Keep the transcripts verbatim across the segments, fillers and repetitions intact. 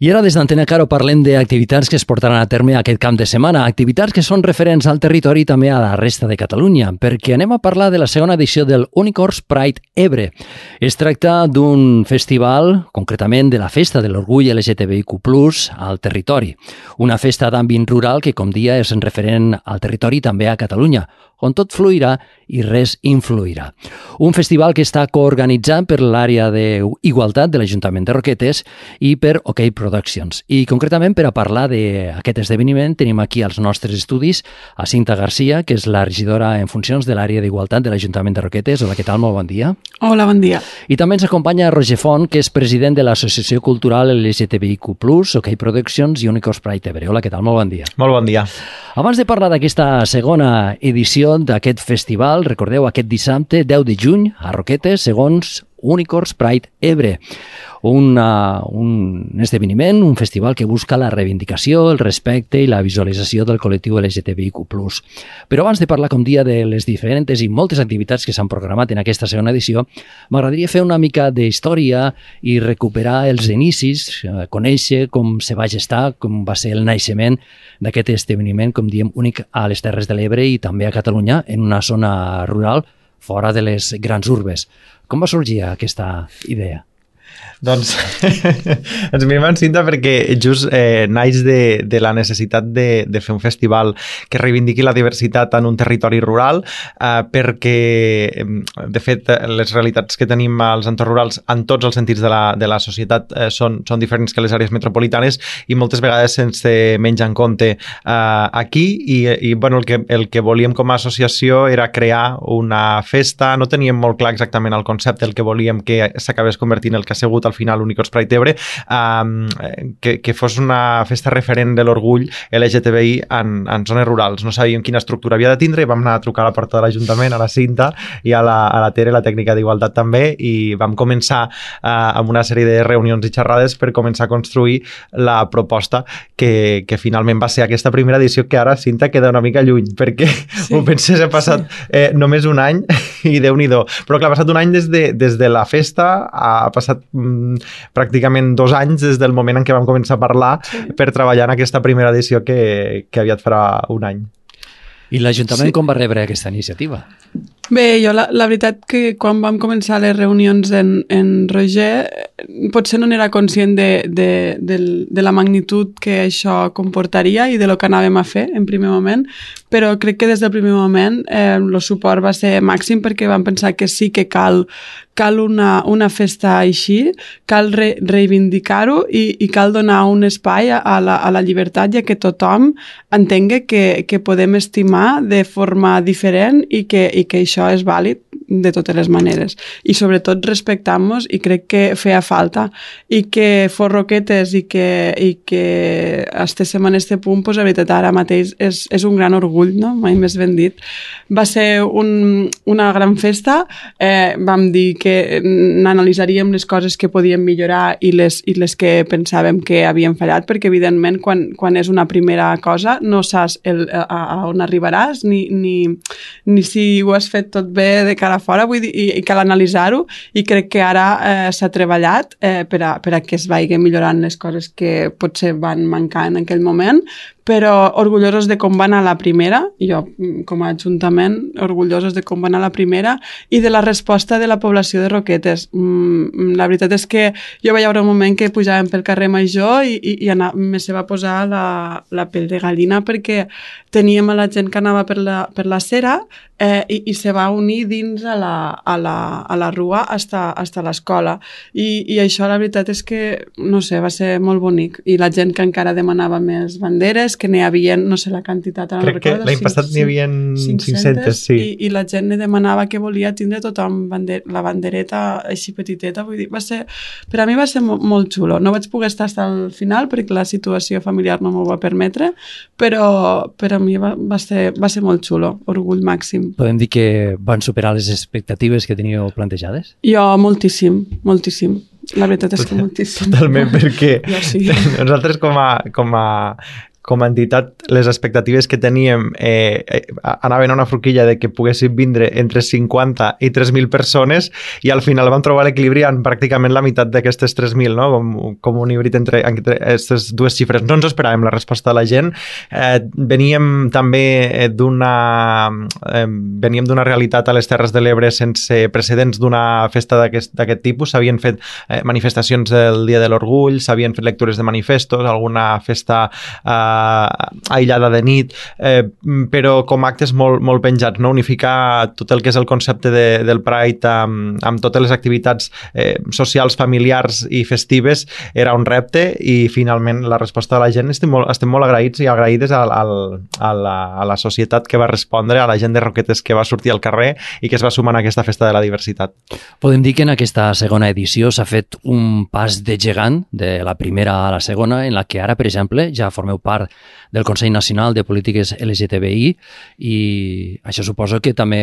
I ara des d'Antena Caro parlem d'activitats que es portaran a terme aquest camp de setmana, activitats que són referents al territori i també a la resta de Catalunya, perquè anem a parlar de la segona edició del Unicorns Pride Ebre. Es tracta d'un festival, concretament de la Festa de l'Orgull L G T B I Q plus, al territori. Una festa d'àmbit rural que, com dia, és referent al territori i també a Catalunya, on tot fluirà i res influirà. Un festival que està coorganitzat per l'àrea d'Igualtat de l'Ajuntament de Roquetes i per OK Productions. I concretament per a parlar d'aquest esdeveniment tenim aquí als nostres estudis a Cinta Garcia, que és la regidora en funcions de l'àrea d'Igualtat de l'Ajuntament de Roquetes. Hola, què tal? Molt bon dia. Hola, bon dia. I també ens acompanya Roger Font, que és president de l'Associació Cultural L G T B I Q plus, OK Productions i Unicorns Pride Ebre. Hola, què tal? Molt bon dia. Molt bon dia. Abans de parlar d'aquesta segona edició d'aquest festival, recordeu, aquest dissabte deu de juny a Roquetes, segons Unicorns Pride Ebre. Una, un esdeveniment, un festival que busca la reivindicació, el respecte i la visualització del col·lectiu L G T B I Q plus. Però abans de parlar, com dia, de les diferents i moltes activitats que s'han programat en aquesta segona edició, m'agradaria fer una mica d'història i recuperar els inicis, conèixer com se va gestar, com va ser el naixement d'aquest esdeveniment, com diem, únic a les Terres de l'Ebre i també a Catalunya, en una zona rural fora de les grans urbes. Com va sorgir aquesta idea? Doncs ens mirem en Cinta perquè just eh, naix de, de la necessitat de, de fer un festival que reivindiqui la diversitat en un territori rural, eh, perquè de fet les realitats que tenim als entorns rurals en tots els sentits de la, de la societat eh, són, són diferents que les àrees metropolitanes i moltes vegades se'ns menja en compte eh, aquí i, i bueno, el, que, el que volíem com a associació era crear una festa, no teníem molt clar exactament el concepte, el que volíem que s'acabés convertint el que ha sigut al final Unicorns Pride Ebre, um, que, que fos una festa referent de l'orgull L G T B I en, en zones rurals. No sabíem quina estructura havia de tindre i vam anar a trucar a la porta de l'Ajuntament, a la Cinta i a la, a la Tere, la tècnica d'Igualtat també, i vam començar uh, amb una sèrie de reunions i xerrades per començar a construir la proposta que, que finalment va ser aquesta primera edició, que ara Cinta queda una mica lluny, perquè sí. Ho penses, ha passat eh, només un any i Déu-n'hi-do. Però clar, ha passat un any des de, des de la festa, ha passat pràcticament dos anys des del moment en què vam començar a parlar sí. per treballar en aquesta primera edició que, que aviat farà un any. I l'Ajuntament sí. com va rebre aquesta iniciativa? Bé, jo la, la veritat que quan vam començar les reunions en, en Roger potser no n'era conscient de, de, de, de la magnitud que això comportaria i de lo que anàvem a fer en primer moment, però crec que des del primer moment eh, el suport va ser màxim perquè vam pensar que sí que cal, cal una, una festa així, cal re, reivindicar-ho i, i cal donar un espai a, a, la, a la llibertat i a que tothom entengui que, que podem estimar de forma diferent i que, i que això és vàlid de totes les maneres. I sobretot respectant-nos, i crec que feia falta. I que fos Roquetes i que, i que estéssim en este punt, pues, la veritat, ara mateix és, és un gran orgull, no? Mai més ben dit. Va ser un, una gran festa, eh, vam dir que n'analitzaríem les coses que podíem millorar i les, i les que pensàvem que havien fallat, perquè evidentment quan, quan és una primera cosa no saps el, a, a on arribaràs ni, ni, ni si ho has fet tot bé de cara a fora, vull dir, i, i cal analitzar-ho, i crec que ara eh, s'ha treballat eh, per, a, per a que es vagi millorant les coses que potser van mancar en aquell moment, però orgullosos de com va anar la primera, jo com a Ajuntament, orgullosos de com va anar la primera i de la resposta de la població de Roquetes. Mm, la veritat és que jo vaig veure un moment que pujàvem pel carrer Major i, i, i anar, me se va posar la, la pell de gallina perquè teníem a la gent que anava per la, per la cera eh, i, i se va unir dins a la, a la, a la rua hasta, hasta l'escola. I, I això la veritat és que, no sé, va ser molt bonic. I la gent que encara demanava més banderes, que n'hi havia, no sé la quantitat, ara crec no recordo, que l'any passat n'hi havia cinc-centes, sí. I, i la gent ne demanava que volia tindre tothom bander, la bandereta així petiteta, vull dir, va ser, per a mi va ser mo molt xulo. No vaig poder estar fins al final perquè la situació familiar no m'ho va permetre, però per a mi va, va, ser, va ser molt xulo, orgull màxim. Podem dir que van superar les expectatives que teníeu plantejades? Jo moltíssim, moltíssim. La veritat és que moltíssim. Totalment, perquè sí. nosaltres com a, com a com a entitat, les expectatives que teníem eh, eh, anaven a una forquilla de que poguessin vindre entre cinquanta i tres mil persones i al final vam trobar l'equilibri en pràcticament la meitat d'aquestes tres mil, no? com, com un híbrid entre aquestes dues xifres. No ens esperàvem la resposta de la gent. Eh, veníem també d'una eh, veníem d'una realitat a les Terres de l'Ebre sense precedents d'una festa d'aquest tipus. S'havien fet eh, manifestacions del Dia de l'Orgull, s'havien fet lectures de manifestos, alguna festa eh, aïllada de nit, eh, però com actes molt, molt penjats, no? Unificar tot el que és el concepte de, del Pride amb, amb totes les activitats eh, socials, familiars i festives era un repte i finalment la resposta de la gent estem molt, estem molt agraïts i agraïdes al, al, a, la, a la societat que va respondre, a la gent de Roquetes que va sortir al carrer i que es va sumar a aquesta festa de la diversitat. Podem dir que en aquesta segona edició s'ha fet un pas de gegant de la primera a la segona, en la que ara, per exemple, ja formeu part del Consell Nacional de Polítiques L G T B I i això suposo que també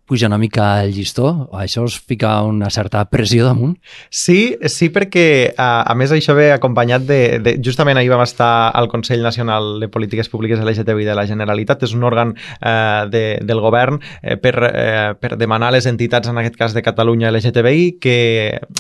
puja una mica el llistó, això us fica una certa pressió damunt? Sí, sí, perquè a, a més això ve acompanyat de, de... Justament ahir vam estar al Consell Nacional de Polítiques Públiques L G T B I de la Generalitat, és un òrgan eh, de, del govern eh, per, eh, per demanar a les entitats, en aquest cas de Catalunya L G T B I, que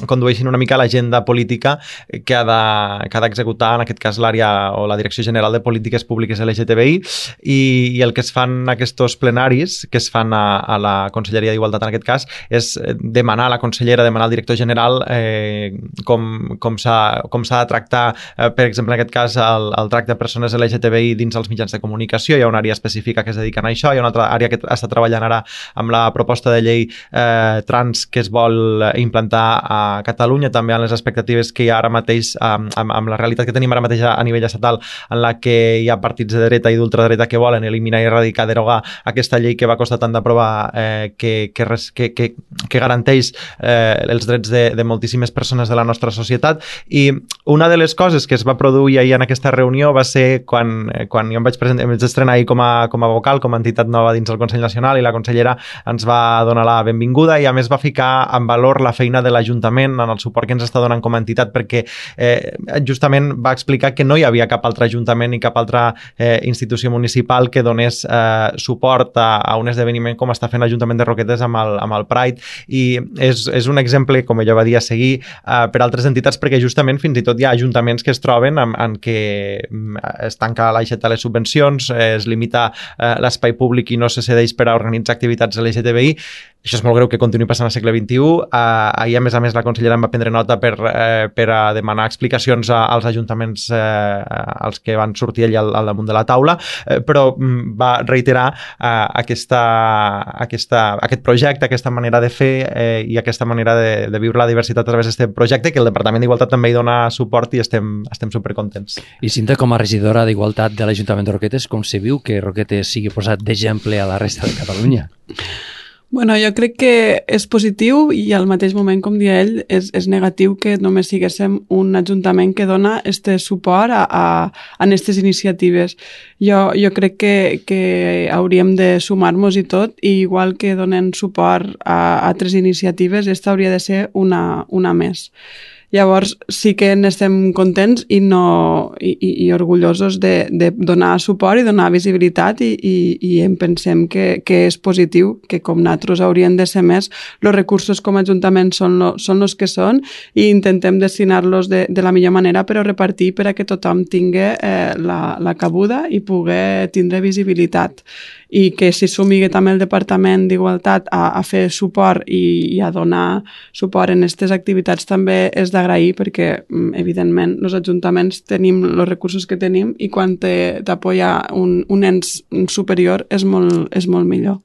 condueixin una mica l'agenda política que ha de, que ha d'executar, en aquest cas l'àrea o la Direcció General de Polítiques Públiques L G T B I, i, i el que es fan aquests plenaris, que es fan a, a la Conselleria d'Igualtat en aquest cas, és demanar a la consellera, demanar al director general eh, com, com s'ha com s'ha de tractar, eh, per exemple, en aquest cas, el, el tracte de persones L G T B I dins els mitjans de comunicació. Hi ha una àrea específica que es dedica a això, hi ha una altra àrea que està treballant ara amb la proposta de llei eh, trans que es vol implantar a Catalunya, també en les expectatives que hi ha ara mateix, amb, amb, amb la realitat que tenim ara mateix a nivell estatal, en la que hi ha partits de dreta i d'ultradreta que volen eliminar i erradicar, derogar aquesta llei que va costar tant d'aprovar, eh, Que, que, que, que, que garanteix eh, els drets de, de moltíssimes persones de la nostra societat. I una de les coses que es va produir ahir en aquesta reunió va ser quan, quan jo em vaig, presentar, em vaig estrenar ahir com a, com a vocal, com a entitat nova dins del Consell Nacional, i la consellera ens va donar la benvinguda i a més va ficar en valor la feina de l'Ajuntament en el suport que ens està donant com a entitat, perquè eh, justament va explicar que no hi havia cap altre ajuntament ni cap altra eh, institució municipal que donés eh, suport a, a un esdeveniment com està fent l'Ajuntament de Roquetes amb el, amb el Pride, i és, és un exemple, com ella va dir, a seguir uh, per altres entitats, perquè justament fins i tot hi ha ajuntaments que es troben en, en què es tanca l'aixeta de les subvencions, eh, es limita uh, l'espai públic i no se cedeix per a organitzar activitats L G T B I. Això és molt greu que continuï passant al segle vint-i-u. Uh, ahir, a més a més, la consellera em va prendre nota per, uh, per a demanar explicacions a, als ajuntaments uh, als que van sortir allà al, al damunt de la taula, uh, però um, va reiterar uh, aquesta, aquesta, aquest projecte, aquesta manera de fer eh, i aquesta manera de, de viure la diversitat a través d'aquest projecte, que el Departament d'Igualtat també hi dona suport i estem, estem supercontents. I Cinta, com a regidora d'Igualtat de l'Ajuntament de Roquetes, com se viu que Roquetes sigui posat d'exemple a la resta de Catalunya? Bueno, jo crec que és positiu i al mateix moment, com dia ell, és, és negatiu que només siguéssim un ajuntament que dona este suport a, a, a aquestes iniciatives. Jo, jo crec que, que hauríem de sumar-nos i tot, i igual que donen suport a altres iniciatives, esta hauria de ser una, una més. Llavors sí que n'estem contents i, no, i, i, i orgullosos de, de donar suport i donar visibilitat, i, i, i en pensem que, que és positiu, que com nosaltres haurien de ser més, els recursos com a Ajuntament són, lo, són els que són, i intentem destinar-los de, de la millor manera, però repartir per a que tothom tingui eh, la, la cabuda i pugui tindre visibilitat. I que si s'humigui també el Departament d'Igualtat a, a fer suport i, i a donar suport en aquestes activitats també és d'agrair, perquè evidentment els ajuntaments tenim els recursos que tenim i quan t'apoya un, un ens superior és molt, és molt millor.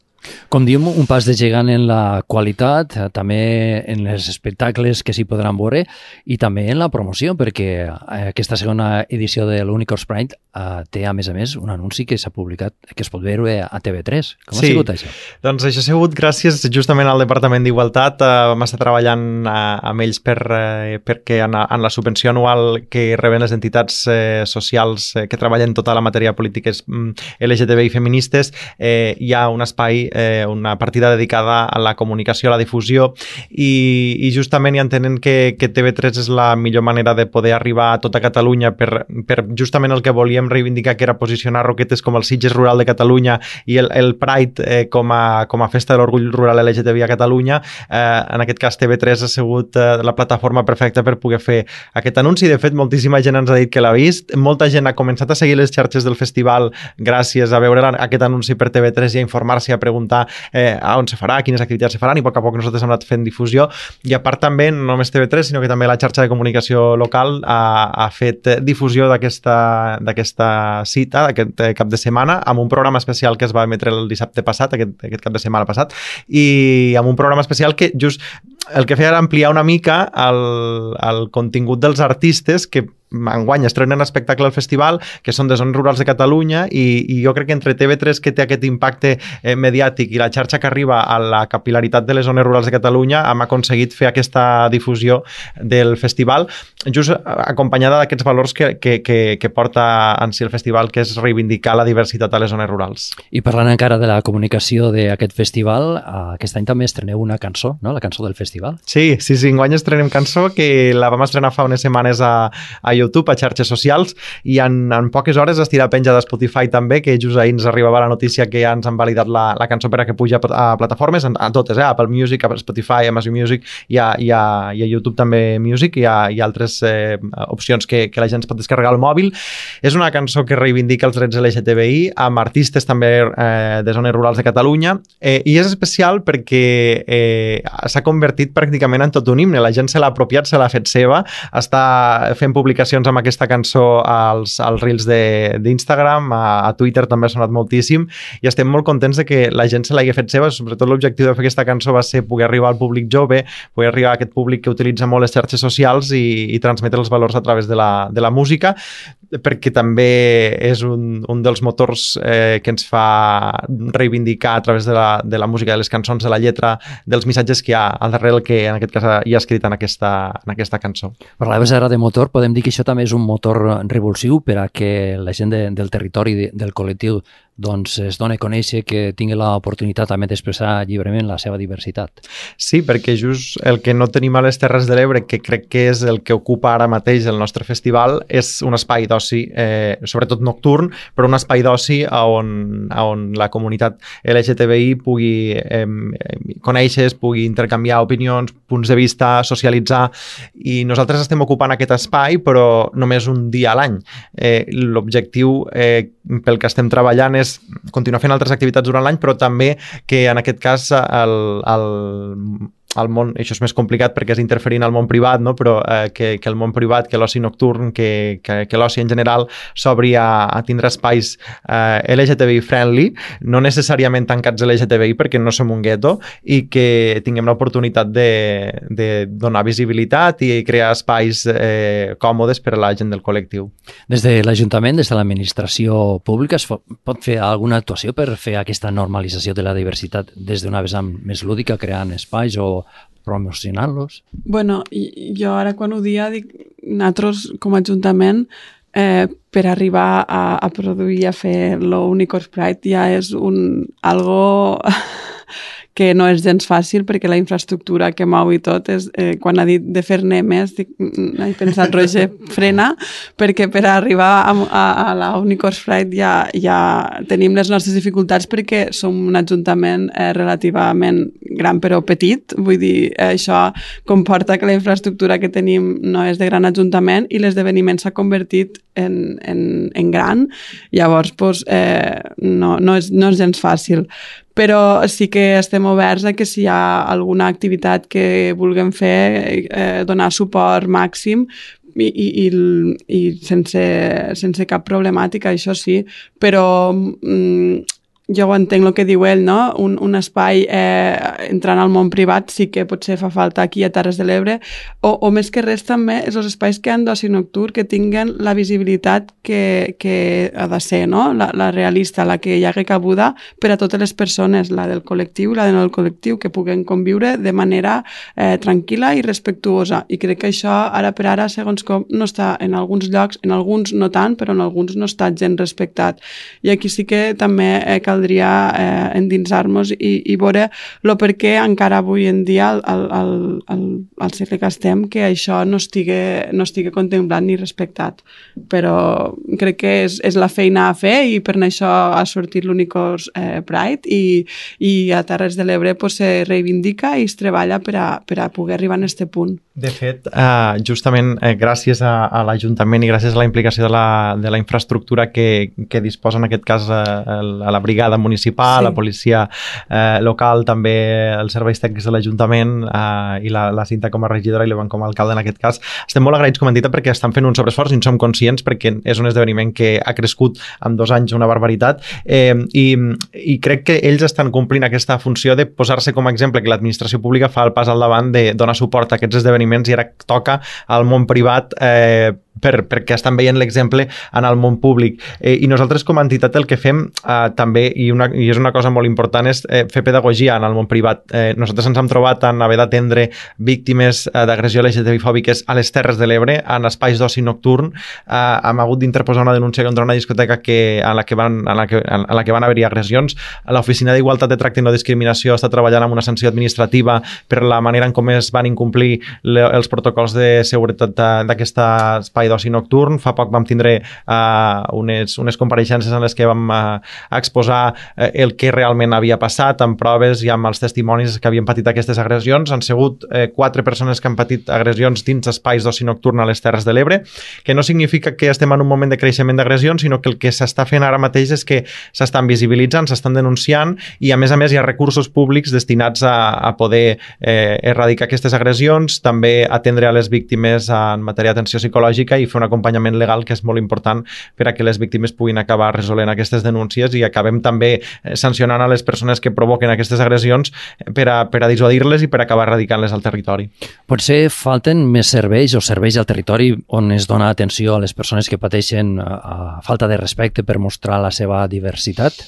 Com diem, un pas de gegant en la qualitat, també en els espectacles que s'hi podran veure i també en la promoció, perquè aquesta segona edició de l'Unicorns Pride eh, té, a més a més, un anunci que s'ha publicat, que es pot veure a T V tres. Com sí. ha sigut això? Doncs això ha sigut gràcies justament al Departament d'Igualtat. Eh, vam estar treballant eh, amb ells per, eh, perquè en, en la subvenció anual que reben les entitats eh, socials eh, que treballen tota la matèria de polítiques mm, L G T B I feministes, eh, hi ha un espai eh, una partida dedicada a la comunicació, a la difusió, i, i justament ja entenent que, que T V tres és la millor manera de poder arribar a tota Catalunya per, per justament el que volíem reivindicar, que era posicionar Roquetes com el Sitges rural de Catalunya i el, el Pride eh, com, a, com a festa de l'orgull rural L G T B I a Catalunya. Eh, en aquest cas T V tres ha sigut eh, la plataforma perfecta per poder fer aquest anunci. De fet, moltíssima gent ens ha dit que l'ha vist, molta gent ha començat a seguir les xarxes del festival gràcies a veure aquest anunci per T V tres i a informar-se i a preguntar eh, a on se farà, quines activitats se faran, i a poc a poc nosaltres hem anat fent difusió. I a part també, no només T V tres, sinó que també la xarxa de comunicació local ha, ha fet difusió d'aquesta d'aquesta cita, d'aquest cap de setmana, amb un programa especial que es va emetre el dissabte passat, aquest, aquest cap de setmana passat, i amb un programa especial que just el que feia era ampliar una mica el, el contingut dels artistes que enguany estrenen espectacle al festival, que són de zones rurals de Catalunya, i, i jo crec que entre T V tres, que té aquest impacte eh, mediàtic, i la xarxa que arriba a la capilaritat de les zones rurals de Catalunya, hem aconseguit fer aquesta difusió del festival, just acompanyada d'aquests valors que, que, que, que porta en si el festival, que és reivindicar la diversitat a les zones rurals. I parlant encara de la comunicació d'aquest festival, aquest any també estreneu una cançó, no? La cançó del festival. Sí, sí, sí, enguany estrenem cançó, que la vam estrenar fa unes setmanes a, a YouTube, a xarxes socials, i en, en poques hores estirà penja de Spotify també, que just ahir ens arribava la notícia que ja ens han validat la, la cançó per a que puja a plataformes, a, a totes, eh? Apple Music, a Spotify, Amazon Music, i a, i a, i a YouTube també Music, i a, i altres eh, opcions que, que la gent es pot descarregar al mòbil. És una cançó que reivindica els drets L G T B I, amb artistes també eh, de zones rurals de Catalunya, eh, i és especial perquè eh, s'ha convertit pràcticament en tot un himne. La gent se l'ha apropiat, se l'ha fet seva, està fent publicacions amb aquesta cançó als, als reels d'Instagram, a, a Twitter també ha sonat moltíssim, i estem molt contents de que la gent se l'hagi fet seva. Sobretot l'objectiu de fer aquesta cançó va ser poder arribar al públic jove, poder arribar a aquest públic que utilitza molt les xarxes socials i, i transmetre els valors a través de la, de la música, perquè també és un, un dels motors eh, que ens fa reivindicar a través de la, de la música, de les cançons, de la lletra, dels missatges que hi ha al darrere, que en aquest cas hi ha escrit en aquesta, en aquesta cançó. Parlaves ara de motor, podem dir que això també és un motor revulsiu per a que la gent de, del territori, de, del col·lectiu, doncs es dona a conèixer, que tingui l'oportunitat també d'expressar lliurement la seva diversitat. Sí, perquè just el que no tenim a les Terres de l'Ebre, que crec que és el que ocupa ara mateix el nostre festival, és un espai d'oci, eh, sobretot nocturn, però un espai d'oci on, on la comunitat L G T B I pugui eh, conèixer, pugui intercanviar opinions, punts de vista, socialitzar, i nosaltres estem ocupant aquest espai, però només un dia a l'any. Eh, l'objectiu eh, pel que estem treballant és continuar fent altres activitats durant l'any, però també que en aquest cas el, el, el món, això és més complicat perquè és interferint al món privat, no? Però eh, que, que el món privat, que l'oci nocturn, que, que, que l'oci en general s'obri a, a tindre espais eh, L G T B I friendly, no necessàriament tancats L G T B I perquè no som un gueto, i que tinguem l'oportunitat de, de donar visibilitat i crear espais eh, còmodes per a la gent del col·lectiu. Des de l'Ajuntament, des de l'administració pública, es pot fer alguna actuació per fer aquesta normalització de la diversitat des d'una vessant més lúdica, creant espais o promocionant-los? Bueno, jo ara quan ho dia dic, nosaltres com a Ajuntament eh, per arribar a, a produir, a fer l'Unicorns Pride ja és un algo que no és gens fàcil, perquè la infraestructura que mou i tot és, eh, quan ha dit de fer-ne més, dic, he pensat, Roger, frena, perquè per arribar a, a, a la Unicorns Pride ja, ja tenim les nostres dificultats, perquè som un ajuntament eh, relativament gran però petit, vull dir, eh, això comporta que la infraestructura que tenim no és de gran ajuntament i l'esdeveniment s'ha convertit en, en, en gran, llavors pues, eh, no, no, és, no és gens fàcil. Però sí que estem oberts a que si hi ha alguna activitat que vulguem fer, eh, donar suport màxim i, i, i, i sense, sense cap problemàtica, això sí, però mm, jo ho entenc el que diu ell, no? Un, un espai eh, entrant al món privat sí que potser fa falta aquí a Terres de l'Ebre, o, o més que res també és els espais que han d'oci nocturn que tinguen la visibilitat que, que ha de ser, no? La, la realista, la que hi hagi cabuda per a totes les persones, la del col·lectiu i la de no del col·lectiu, que puguen conviure de manera eh, tranquil·la i respectuosa. I crec que això ara per ara, segons com, no està en alguns llocs, en alguns no tant, però en alguns no està gens respectat. I aquí sí que també eh, caldria eh, endinsar-nos i, i veure el per què encara avui en dia, al, al, al, al segle que estem, que això no estigui, no estigui contemplat ni respectat. Però crec que és, és la feina a fer i per això ha sortit l'Unicorns eh, Pride i, i a Terres de l'Ebre pues, se reivindica i es treballa per a, per a poder arribar a aquest punt. De fet, eh, justament eh, gràcies a, a l'Ajuntament i gràcies a la implicació de la, de la infraestructura que, que disposa en aquest cas a, a la brigada municipal, sí. La policia eh, local, també els serveis tècnics de l'Ajuntament eh, i la, la Cinta com a regidora i l'Ivan com a alcalde en aquest cas, estem molt agraïts com a entitat perquè estan fent un sobreesforç i en som conscients perquè és un esdeveniment que ha crescut en dos anys una barbaritat eh, i, i crec que ells estan complint aquesta funció de posar-se com a exemple que l'administració pública fa el pas al davant de donar suport a aquests esdeveniments i ara toca al món privat eh, per, perquè estan veient l'exemple en el món públic. Eh, I nosaltres com a entitat el que fem eh, també, i, una, i és una cosa molt important, és eh, fer pedagogia en el món privat. Eh, nosaltres ens hem trobat en haver d'atendre víctimes eh, d'agressió L G T B I fòbiques a les Terres de l'Ebre, en espais d'oci nocturn. Eh, hem hagut d'interposar una denúncia contra una discoteca que, en, la que van, en, la que, en la que van haver-hi agressions. L'Oficina d'Igualtat de Tracte i No Discriminació està treballant amb una sanció administrativa per la manera en com es van incomplir le, els protocols de seguretat d'aquest espai d'oci nocturn. Fa poc vam tindre uh, unes, unes compareixences en les que vam uh, exposar uh, el que realment havia passat amb proves i amb els testimonis que havien patit aquestes agressions. Han sigut uh, quatre persones que han patit agressions dins espais d'oci nocturn a les Terres de l'Ebre, que no significa que estem en un moment de creixement d'agressions, sinó que el que s'està fent ara mateix és que s'estan visibilitzant, s'estan denunciant i a més a més hi ha recursos públics destinats a, a poder eh, erradicar aquestes agressions, també atendre a les víctimes en matèria d'atenció psicològica i fer un acompanyament legal que és molt important per a que les víctimes puguin acabar resolent aquestes denúncies i acabem també sancionant a les persones que provoquen aquestes agressions per a, per a dissuadir-les i per acabar erradicant-les al territori. Potser falten més serveis o serveis al territori on es dona atenció a les persones que pateixen a, a falta de respecte per mostrar la seva diversitat?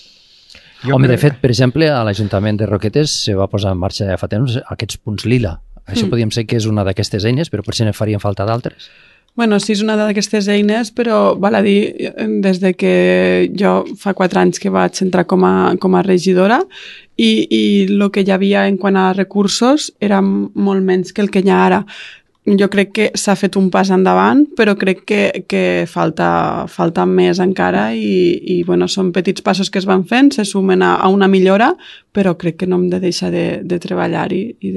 Jo Home, crec... de fet, per exemple, a l'Ajuntament de Roquetes se va posar en marxa ja fa temps aquests punts lila. Això mm. podríem ser que és una d'aquestes eines, però potser ne farien falta d'altres. Bueno, sí, és una d'aquestes eines, però val a dir, des de que jo fa quatre anys que vaig entrar com a, com a regidora i, i el que hi havia en quant a recursos era molt menys que el que hi ha ara. Jo crec que s'ha fet un pas endavant, però crec que, que falta, falta més encara i, i bueno, són petits passos que es van fent, se sumen a, a una millora, però crec que no hem de deixar de, de treballar-hi i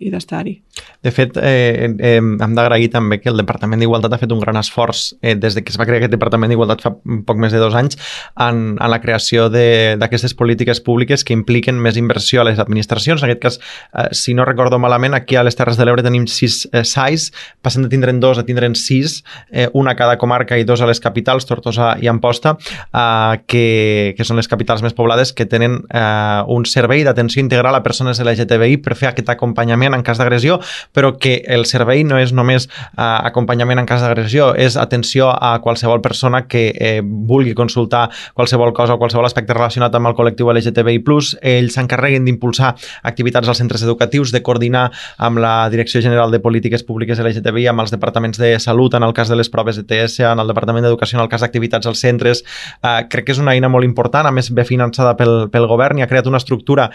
d'estar-hi. De fet, eh, eh, hem d'agrair també que el Departament d'Igualtat ha fet un gran esforç eh, des de que es va crear aquest Departament d'Igualtat fa poc més de dos anys en, en la creació d'aquestes polítiques públiques que impliquen més inversió a les administracions. En aquest cas, eh, si no recordo malament, aquí a les Terres de l'Ebre tenim sis eh, S A I, passem de tindre'n dos a tindre'n sis, eh, una a cada comarca i dos a les capitals, Tortosa i Amposta, eh, que, que són les capitals més poblades, que tenen eh, un servei d'atenció integral a persones L G T B I per fer aquest acompanyament en cas d'agressió, però que el servei no és només eh, acompanyament en cas d'agressió, és atenció a qualsevol persona que eh, vulgui consultar qualsevol cosa o qualsevol aspecte relacionat amb el col·lectiu L G T B I plus. Ells s'encarreguen d'impulsar activitats als centres educatius, de coordinar amb la Direcció General de Polítiques Públiques L G T B I, amb els departaments de salut en el cas de les proves de T S, en el departament d'educació en el cas d'activitats als centres. Eh, crec que és una eina molt important, a més ve finançada pel, pel govern i ha creat una estructura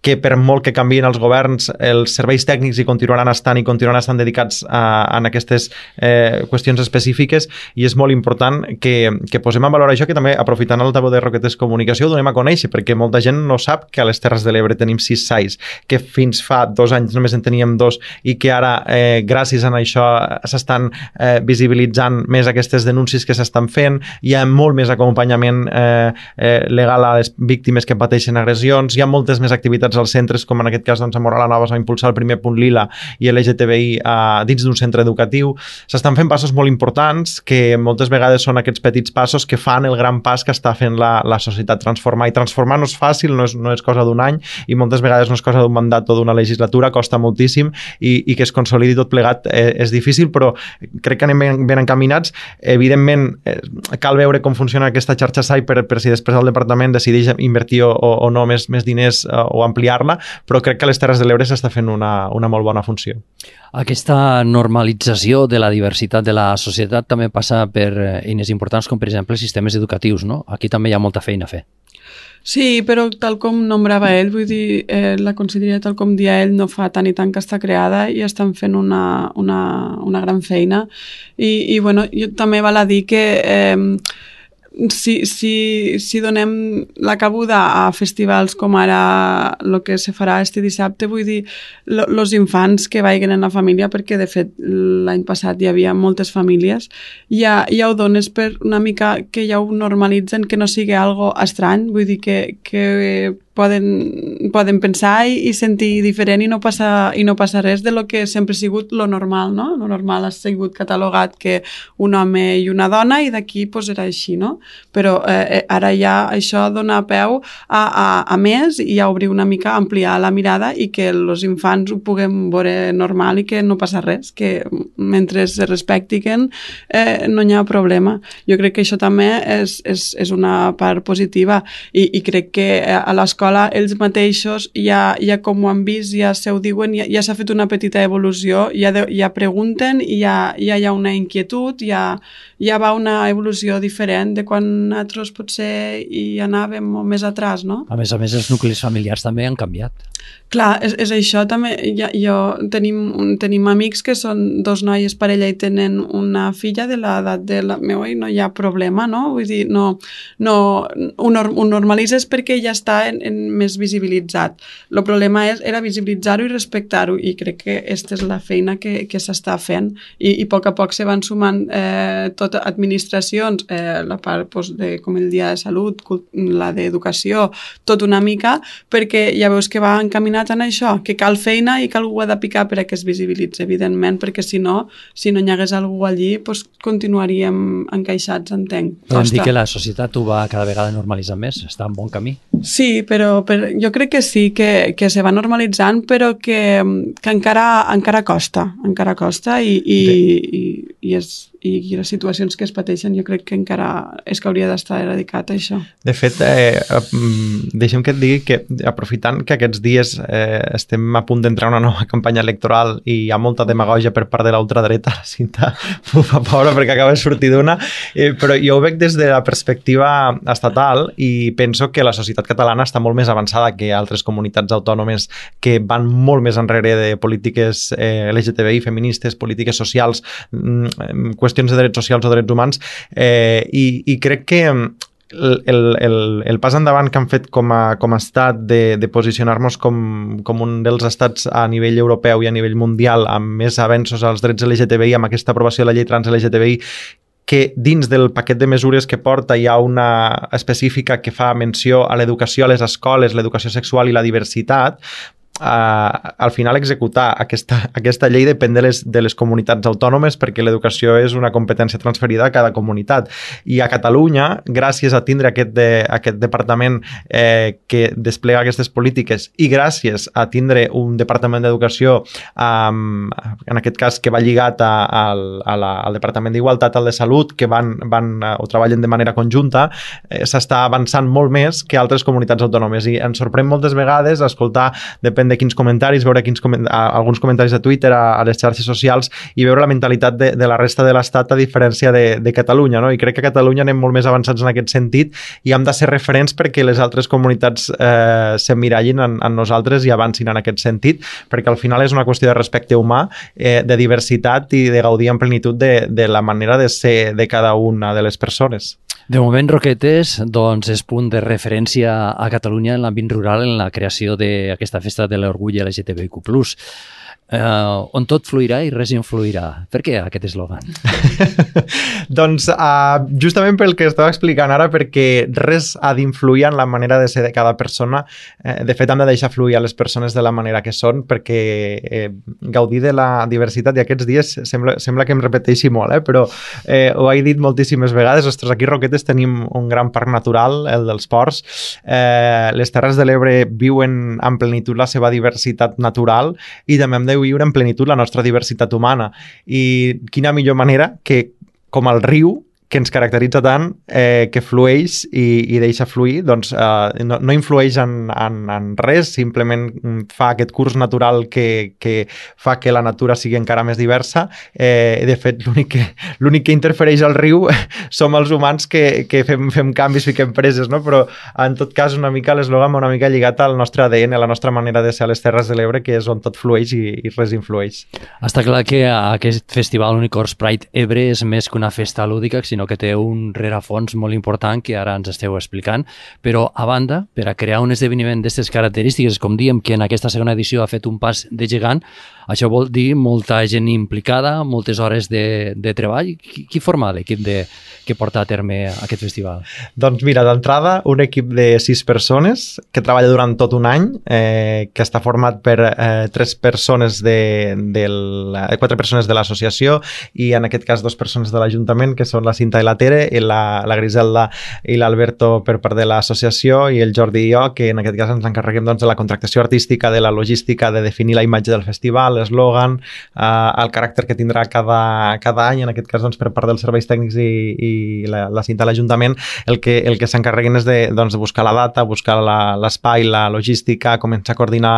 que per molt que canvien els governs, els serveis tècnics hi continuaran estant i continuaran estant dedicats a, a aquestes eh, qüestions específiques i és molt important que, que posem en valor això, que també aprofitant el tabú de Roquetes Comunicació ho donem a conèixer, perquè molta gent no sap que a les Terres de l'Ebre tenim sis S A Is, que fins fa dos anys només en teníem dos i que ara, eh, gràcies a això, s'estan eh, visibilitzant més aquestes denúncies que s'estan fent, hi ha molt més acompanyament eh, eh, legal a les víctimes que pateixen agressions, hi ha moltes més activitats activitats als centres, com en aquest cas doncs, a Móra la Nova s'ha impulsat el primer punt lila i L G T B I uh, dins d'un centre educatiu. S'estan fent passos molt importants que moltes vegades són aquests petits passos que fan el gran pas que està fent la, la societat transformar. I transformar no és fàcil, no és, no és cosa d'un any i moltes vegades no és cosa d'un mandat o d'una legislatura, costa moltíssim i, i que es consolidi tot plegat eh, és difícil, però crec que anem ben, ben encaminats. Evidentment, eh, cal veure com funciona aquesta xarxa S A I per, per si després el departament decideix invertir o, o no més, més diners eh, o ampliar-la, però crec que a les Terres de l'Ebre s'està fent una, una molt bona funció. Aquesta normalització de la diversitat de la societat també passa per eines importants com, per exemple, sistemes educatius, no? Aquí també hi ha molta feina a fer. Sí, però tal com nombrava ell, vull dir, eh, la conselleria, tal com dia ell, no fa tant i tant que està creada i estan fent una, una, una gran feina. I, i bueno, jo també val a dir que eh, si, si, si donem la cabuda a festivals com ara el que se farà este dissabte, vull dir, els infants que vagin en la família, perquè de fet l'any passat hi havia moltes famílies, ja, ja ho dones per una mica que ja ho normalitzen, que no sigui algo estrany, vull dir que, que poden, poden pensar i, i sentir diferent i no, passa, i no passa res de lo que sempre ha sigut lo normal, no? Lo normal ha sigut catalogat que un home i una dona i d'aquí pues, era així, no? Però eh, ara ja això dona peu a, a, a més i a obrir una mica, ampliar la mirada i que els infants ho puguem veure normal i que no passa res, que mentre es respectin eh, no hi ha problema. Jo crec que això també és, és, és una part positiva i, i crec que a l'escola ells mateixos ja, ja com ho han vist, ja se ho diuen, ja, ja s'ha fet una petita evolució, ja, de, ja pregunten i ja, ja hi ha una inquietud, ja, ja va una evolució diferent de quan nosaltres potser hi anàvem més atrás, no? A més a més, els nuclis familiars també han canviat. Clar, és, és això també. Ja, jo tenim, tenim amics que són dos noies parella i tenen una filla de l'edat de la meva i no hi ha problema, no? Vull dir, no, no ho, ho normalitzes perquè ja està en, en més visibilitzat. El problema és, era visibilitzar-ho i respectar-ho i crec que aquesta és la feina que, que s'està fent i, i a poc a poc se van sumant eh, tot administracions, eh, la part pues, de, com el dia de salut, la d'educació, tot una mica, perquè ja veus que va encaminat en això, que cal feina i que algú ha de picar per a que es visibilitzi, evidentment, perquè si no, si no hi hagués algú allí, doncs continuaríem encaixats, entenc. Podem dir que la societat ho va cada vegada normalitzar més, està en bon camí. Sí, però, però jo crec que sí, que, que se va normalitzant, però que, que encara, encara costa, encara costa i, i, i, i, és, i les situacions que es pateixen jo crec que encara és que hauria d'estar erradicat això. De fet, eh, deixem que et digui que aprofitant que aquests dies eh, estem a punt d'entrar en una nova campanya electoral i hi ha molta demagògia per part de l'ultradreta, la Cinta m'ho fa pobra perquè acaba de sortir d'una, eh, però jo ho veig des de la perspectiva estatal i penso que la societat catalana està molt més avançada que altres comunitats autònomes que van molt més enrere de polítiques eh, L G T B I, feministes, polítiques socials, qüestions de drets socials o drets humans, eh, i, i crec que El, el, el pas endavant que han fet com a, com a estat de, de posicionar-nos com, com un dels estats a nivell europeu i a nivell mundial amb més avenços als drets L G T B I, amb aquesta aprovació de la llei trans L G T B I, que dins del paquet de mesures que porta hi ha una específica que fa menció a l'educació a les escoles, l'educació sexual i la diversitat. Uh, al final executar aquesta, aquesta llei depèn de les, de les comunitats autònomes perquè l'educació és una competència transferida a cada comunitat i a Catalunya, gràcies a tindre aquest, de, aquest departament eh, que desplega aquestes polítiques i gràcies a tindre un departament d'educació um, en aquest cas que va lligat a, a, a la, al departament d'Igualtat, al de Salut, que van, van uh, o treballen de manera conjunta, eh, s'està avançant molt més que altres comunitats autònomes i ens sorprèn moltes vegades escoltar, depèn de quins comentaris, veure quins coment alguns comentaris de Twitter a, a les xarxes socials i veure la mentalitat de, de la resta de l'Estat a diferència de, de Catalunya, no? I crec que a Catalunya anem molt més avançats en aquest sentit i hem de ser referents perquè les altres comunitats eh, s'emmirallin en, en nosaltres i avancin en aquest sentit, perquè al final és una qüestió de respecte humà, eh, de diversitat i de gaudir en plenitud de, de la manera de ser de cada una de les persones. De moment, Roquetes, doncs, és punt de referència a Catalunya en l'àmbit rural en la creació d'aquesta festa de l'orgull L G T B I Q plus. Uh, on tot fluirà i res influirà. Per què aquest eslògan? Doncs uh, justament pel que estava explicant ara, perquè res ha d'influir en la manera de ser de cada persona. Eh, de fet, hem de deixar fluir a les persones de la manera que són, perquè eh, gaudir de la diversitat, i aquests dies sembla, sembla que em repeteixi molt, eh? Però eh, ho he dit moltíssimes vegades. Ostres, aquí a Roquetes tenim un gran parc natural, el dels Ports. Eh, les Terres de l'Ebre viuen en plenitud la seva diversitat natural i també hem de viure en plenitud la nostra diversitat humana. I quina millor manera que, com el riu, que ens caracteritza tant, eh, que flueix i, i deixa fluir, doncs eh, no, no influeix en, en, en res, simplement fa aquest curs natural que, que fa que la natura sigui encara més diversa. Eh, de fet, l'únic que, l'únic que interfereix al riu som els humans que, que fem, fem canvis, fiquem preses, no? Però en tot cas una mica l'eslògan una mica lligat al nostre A D N, a la nostra manera de ser a les Terres de l'Ebre, que és on tot flueix i, i res influeix. Està clar que aquest festival Unicorns Pride Ebre és més que una festa lúdica, sinó que té un rerefons molt important que ara ens esteu explicant, però a banda, per a crear un esdeveniment d'aquestes característiques, com diem que en aquesta segona edició ha fet un pas de gegant, això vol dir molta gent implicada, moltes hores de, de treball. Qui, qui forma l'equip de, que porta a terme aquest festival? Doncs mira, d'entrada, un equip de sis persones que treballa durant tot un any, eh, que està format per eh, tres persones de, de la, quatre persones de l'associació i en aquest cas dos persones de l'Ajuntament, que són la Cinta i la Tere, i la, la Griselda i l'Alberto per part de l'associació, i el Jordi i jo, que en aquest cas ens encarreguem doncs, de la contractació artística, de la logística, de definir la imatge del festival, l'eslògan, eh, el caràcter que tindrà cada, cada any, en aquest cas doncs, per part dels serveis tècnics i, i la, la Cinta a l'Ajuntament, el que, el que s'encarreguin és de, doncs, de buscar la data, buscar l'espai, la, la logística, començar a coordinar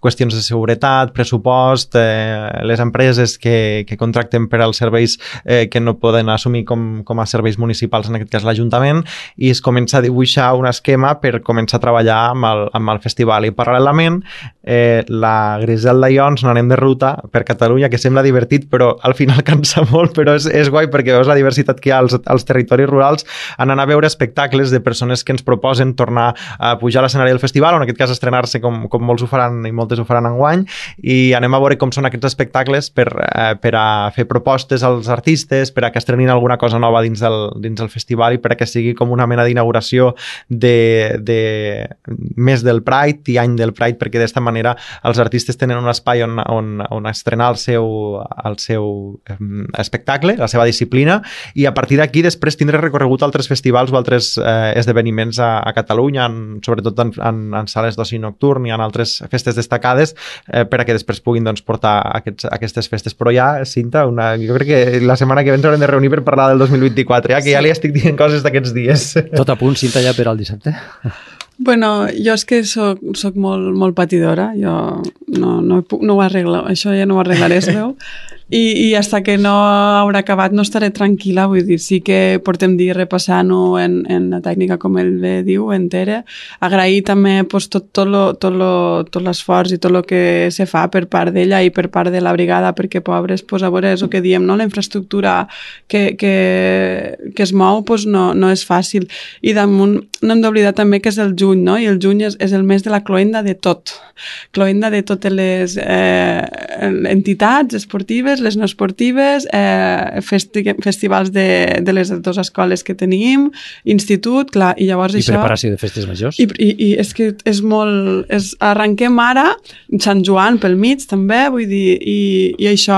qüestions de seguretat, pressupost, eh, les empreses que, que contracten per als serveis eh, que no poden assumir com, com a serveis municipals, en aquest cas l'Ajuntament, i es comença a dibuixar un esquema per començar a treballar amb el, amb el festival. I paral·lelament, eh, la Griselda i jo ens n'anem de ruta per Catalunya, que sembla divertit, però al final cansa molt, però és, és guai perquè veus la diversitat que hi ha als, als territoris rurals, en anar a veure espectacles de persones que ens proposen tornar a pujar a l'escenari del festival, o en aquest cas estrenar-se com, com molts ho faran i moltes ho faran enguany, i anem a veure com són aquests espectacles per, eh, per a fer propostes als artistes, per a que estrenin alguna cosa nova dins del, dins del festival i per a que sigui com una mena d'inauguració de, de mes del Pride i any del Pride, perquè d'esta manera els artistes tenen un espai on, on, on estrenar el seu, el seu eh, espectacle, la seva disciplina, i a partir d'aquí després tindré recorregut altres festivals o altres eh, esdeveniments a, a Catalunya, en, sobretot en, en, en sales d'oci nocturn i en altres festes destacades, eh, per a que després puguin doncs, portar aquests, aquestes festes. Però ja, Cinta, una, jo crec que la setmana que ve ens haurem de reunir per parlar del dos mil vint-i-quatre, ja que sí. Ja li estic dient coses d'aquests dies. Tot a punt, Cinta, ja per al dissabte? Bueno, jo és que soc, soc molt, molt patidora, jo no, no, no ho arreglo, això ja no ho arreglaré, es veu, i, i fins que no haurà acabat no estaré tranquil·la, vull dir, sí que portem dies repassant-ho en, en la tècnica, com ell bé diu, entera, agrair també pues, tot, tot, lo, tot, lo, tot l'esforç i tot el que se fa per part d'ella i per part de la brigada, perquè pobres, pues, a veure, és el que diem, no? La infraestructura que, que, que es mou pues, no, no és fàcil, i damunt no hem d'oblidar també que és el juny, no? I el juny és, és el mes de la cloenda de tot. Cloenda de totes les eh, entitats esportives, les no esportives, eh, festi festivals de, de les dues escoles que tenim, institut, clar, i llavors I això... I preparació de festes majors. I, i, i és que és molt... És, arrenquem ara, Sant Joan pel mig també, vull dir, i, i això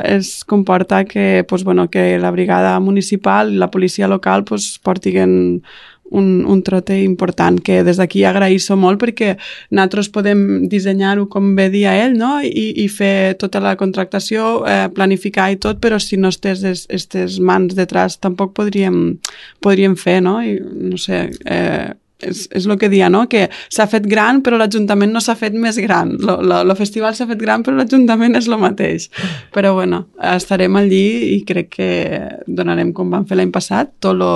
es comporta que, pues, bueno, que la brigada municipal i la policia local pues, portiguen un, un trote important, que des d'aquí agraïsso molt perquè nosaltres podem dissenyar-ho com bé dia ell, no? I, i fer tota la contractació, eh, planificar i tot, però si no estés aquestes mans detrás tampoc podríem, podríem fer, no? I, no sé... Eh, és, és el que dia, no? Que s'ha fet gran però l'Ajuntament no s'ha fet més gran. El festival s'ha fet gran però l'Ajuntament és el mateix. Però bueno, estarem allí i crec que donarem, com vam fer l'any passat, tot lo,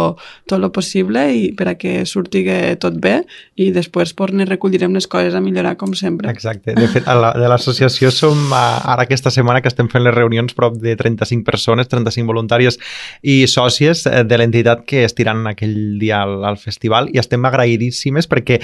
tot lo possible i per a que surti tot bé i després pues, ne recollirem les coses a millorar com sempre. Exacte. De fet, a la, de l'associació som ara aquesta setmana que estem fent les reunions prop de trenta-cinc persones, trenta-cinc voluntàries i sòcies de l'entitat que estiran aquell dia al, al festival i estem agraïts perquè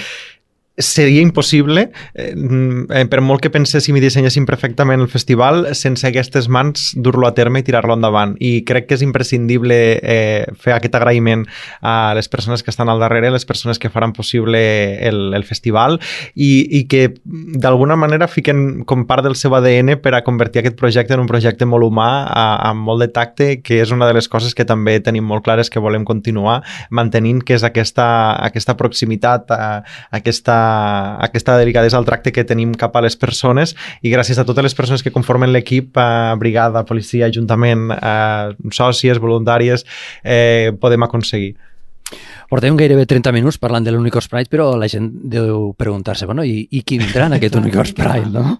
seria impossible, eh, per molt que penséssim i dissenyéssim perfectament el festival, sense aquestes mans dur-lo a terme i tirar-lo endavant. I crec que és imprescindible eh, fer aquest agraïment a les persones que estan al darrere, les persones que faran possible el, el festival i, i que d'alguna manera fiquen com part del seu A D N per a convertir aquest projecte en un projecte molt humà, a, amb molt de tacte, que és una de les coses que també tenim molt clares que volem continuar mantenint, que és aquesta, aquesta proximitat, a, aquesta aquesta delicadesa al tracte que tenim cap a les persones, i gràcies a totes les persones que conformen l'equip, eh, brigada, policia, ajuntament, eh, sòcies, voluntàries, eh, podem aconseguir. Portem gairebé trenta minuts parlant de l'Unicorns Pride, però la gent deu preguntar-se, bueno, i, i qui vindrà en aquest Unicorns Pride, no?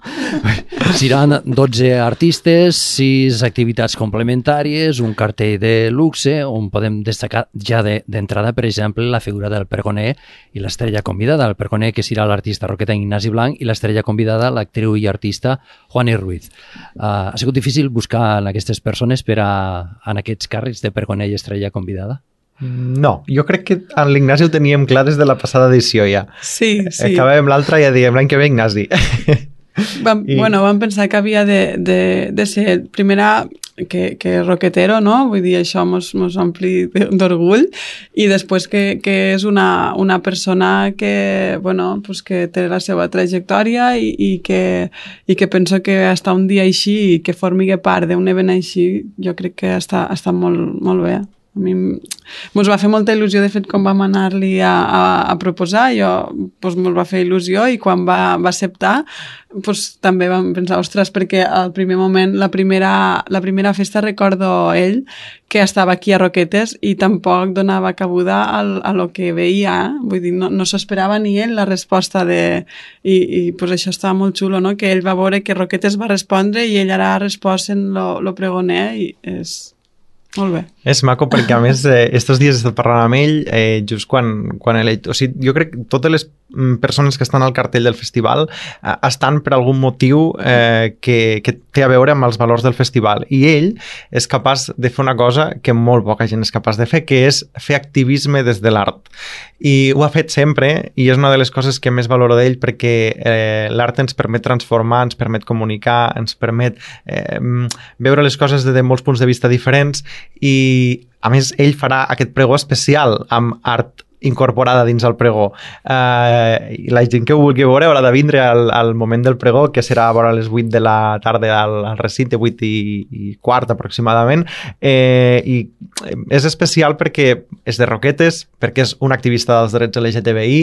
Seran dotze artistes, sis activitats complementàries, un cartell de luxe, on podem destacar ja d'entrada, de, per exemple, la figura del pregoner i l'estrella convidada. El pregoner, que serà l'artista roqueta Ignasi Blanc, i l'estrella convidada, l'actriu i artista Juani Ruiz. Uh, ha sigut difícil buscar en aquestes persones per a, en aquests càrrecs de pregoner i estrella convidada? No, jo crec que en l'Ignasi ho teníem clar des de la passada edició ja. Sí, sí. Acabàvem l'altra i ja diem l'any que ve Ignasi. Vam, I... Bueno, vam pensar que havia de, de, de ser primera que, que roquetero, no? Vull dir, això mos, mos ompli d'orgull, i després que, que és una, una persona que, bueno, pues que té la seva trajectòria i, i, que, i que penso que estar un dia així i que formi part d'un event així, jo crec que està, està molt, molt bé. A mi ens va fer molta il·lusió, de fet, quan vam anar-li a, a, a proposar, jo doncs, ens va fer il·lusió, i quan va, va acceptar doncs, també vam pensar, ostres, perquè al primer moment, la primera, la primera festa, recordo ell que estava aquí a Roquetes i tampoc donava cabuda al, a lo que veia, eh? Vull dir, no, no s'esperava ni ell la resposta de... I, i doncs, això estava molt xulo, no? Que ell va veure que Roquetes va respondre i ell ara ha respost en lo, lo pregoner, i és... Molt bé. És maco perquè, a més, eh, estos dies he estat parlant amb ell, eh, just quan, quan ell... O sigui, jo crec que totes les persones que estan al cartell del festival eh, estan per algun motiu eh, que, que té a veure amb els valors del festival. I ell és capaç de fer una cosa que molt poca gent és capaç de fer, que és fer activisme des de l'art. I ho ha fet sempre, i és una de les coses que més valoro d'ell, perquè eh, l'art ens permet transformar, ens permet comunicar, ens permet eh, veure les coses des de molts punts de vista diferents, i a més ell farà aquest pregó especial amb art incorporada dins el pregó. Uh, la gent que ho vulgui veure haurà de vindre al, al moment del pregó, que serà a vora les vuit de la tarda al, al recinte, vuit i, i quart aproximadament, eh, i és especial perquè és de Roquetes, perquè és un activista dels drets L G T B I,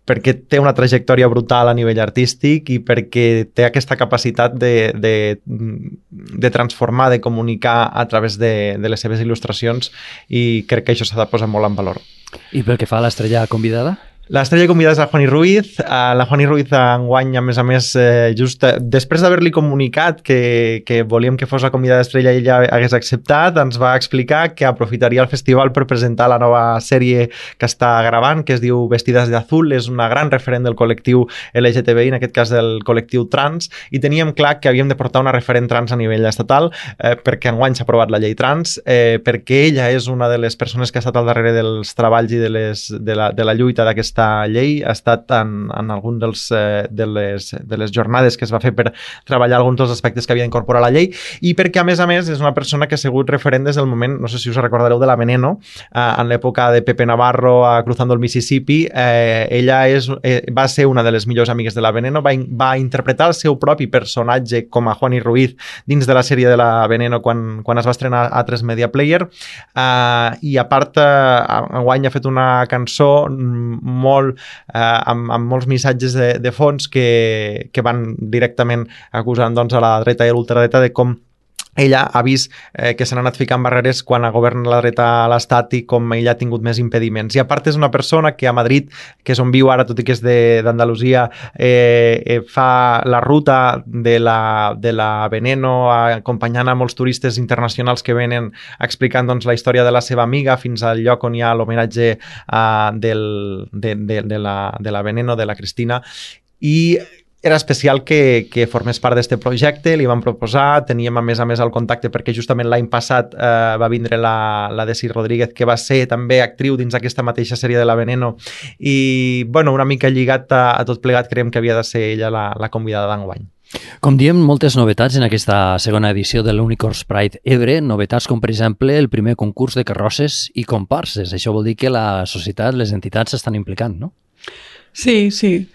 perquè té una trajectòria brutal a nivell artístic i perquè té aquesta capacitat de, de, de transformar, de comunicar a través de, de les seves il·lustracions, i crec que això s'ha de posar molt en valor. I pel que fa a l'estrella convidada? L'estrella convidada és la Juani Ruiz. Uh, la Juani Ruiz enguany, a més a més, eh, just eh, després d'haver-li comunicat que, que volíem que fos la convidada estrella i ella hagués acceptat, ens va explicar que aprofitaria el festival per presentar la nova sèrie que està gravant, que es diu Vestides de Azul. És una gran referent del col·lectiu L G T B I, en aquest cas del col·lectiu trans, i teníem clar que havíem de portar una referent trans a nivell estatal, eh, perquè enguany s'ha aprovat la llei trans, eh, perquè ella és una de les persones que ha estat al darrere dels treballs i de, les, de, la, de la lluita d'aquesta aquesta llei, ha estat en, en algun dels, eh, de, les, de les jornades que es va fer per treballar alguns dels aspectes que havia d'incorporar la llei, i perquè, a més a més, és una persona que ha sigut referent des del moment, no sé si us recordareu, de la Veneno, eh, en l'època de Pepe Navarro a Cruzando el Mississippi. Eh, ella és, eh, va ser una de les millors amigues de la Veneno, va, va interpretar el seu propi personatge com a Juani Ruiz dins de la sèrie de la Veneno quan, quan es va estrenar a tres Media Player, eh, i a part, eh, enguany ha fet una cançó molt, eh, amb, amb molts missatges de, de fons que, que van directament acusant, doncs, a la dreta i a l'ultradreta de com ella ha vist eh, que s'han anat ficant barreres quan ha governat la dreta a l'Estat i com ella ha tingut més impediments. I a part és una persona que a Madrid, que és on viu ara, tot i que és d'Andalusia, eh, eh, fa la ruta de la, de la Veneno, acompanyant a molts turistes internacionals que venen explicant, doncs, la història de la seva amiga fins al lloc on hi ha l'homenatge eh, del, de, de, de, la, de la Veneno, de la Cristina. I era especial que, que formés part d'aquest projecte, li vam proposar, teníem a més a més el contacte perquè justament l'any passat eh, va vindre la, la Desi Rodríguez, que va ser també actriu dins aquesta mateixa sèrie de La Veneno, i bueno, una mica lligat a, a tot plegat, creiem que havia de ser ella la, la convidada d'enguany. Com diem, moltes novetats en aquesta segona edició de l'Unicorns Pride Ebre, novetats com per exemple el primer concurs de carrosses i comparses. Això vol dir que la societat, les entitats s'estan implicant, no? Sí, sí.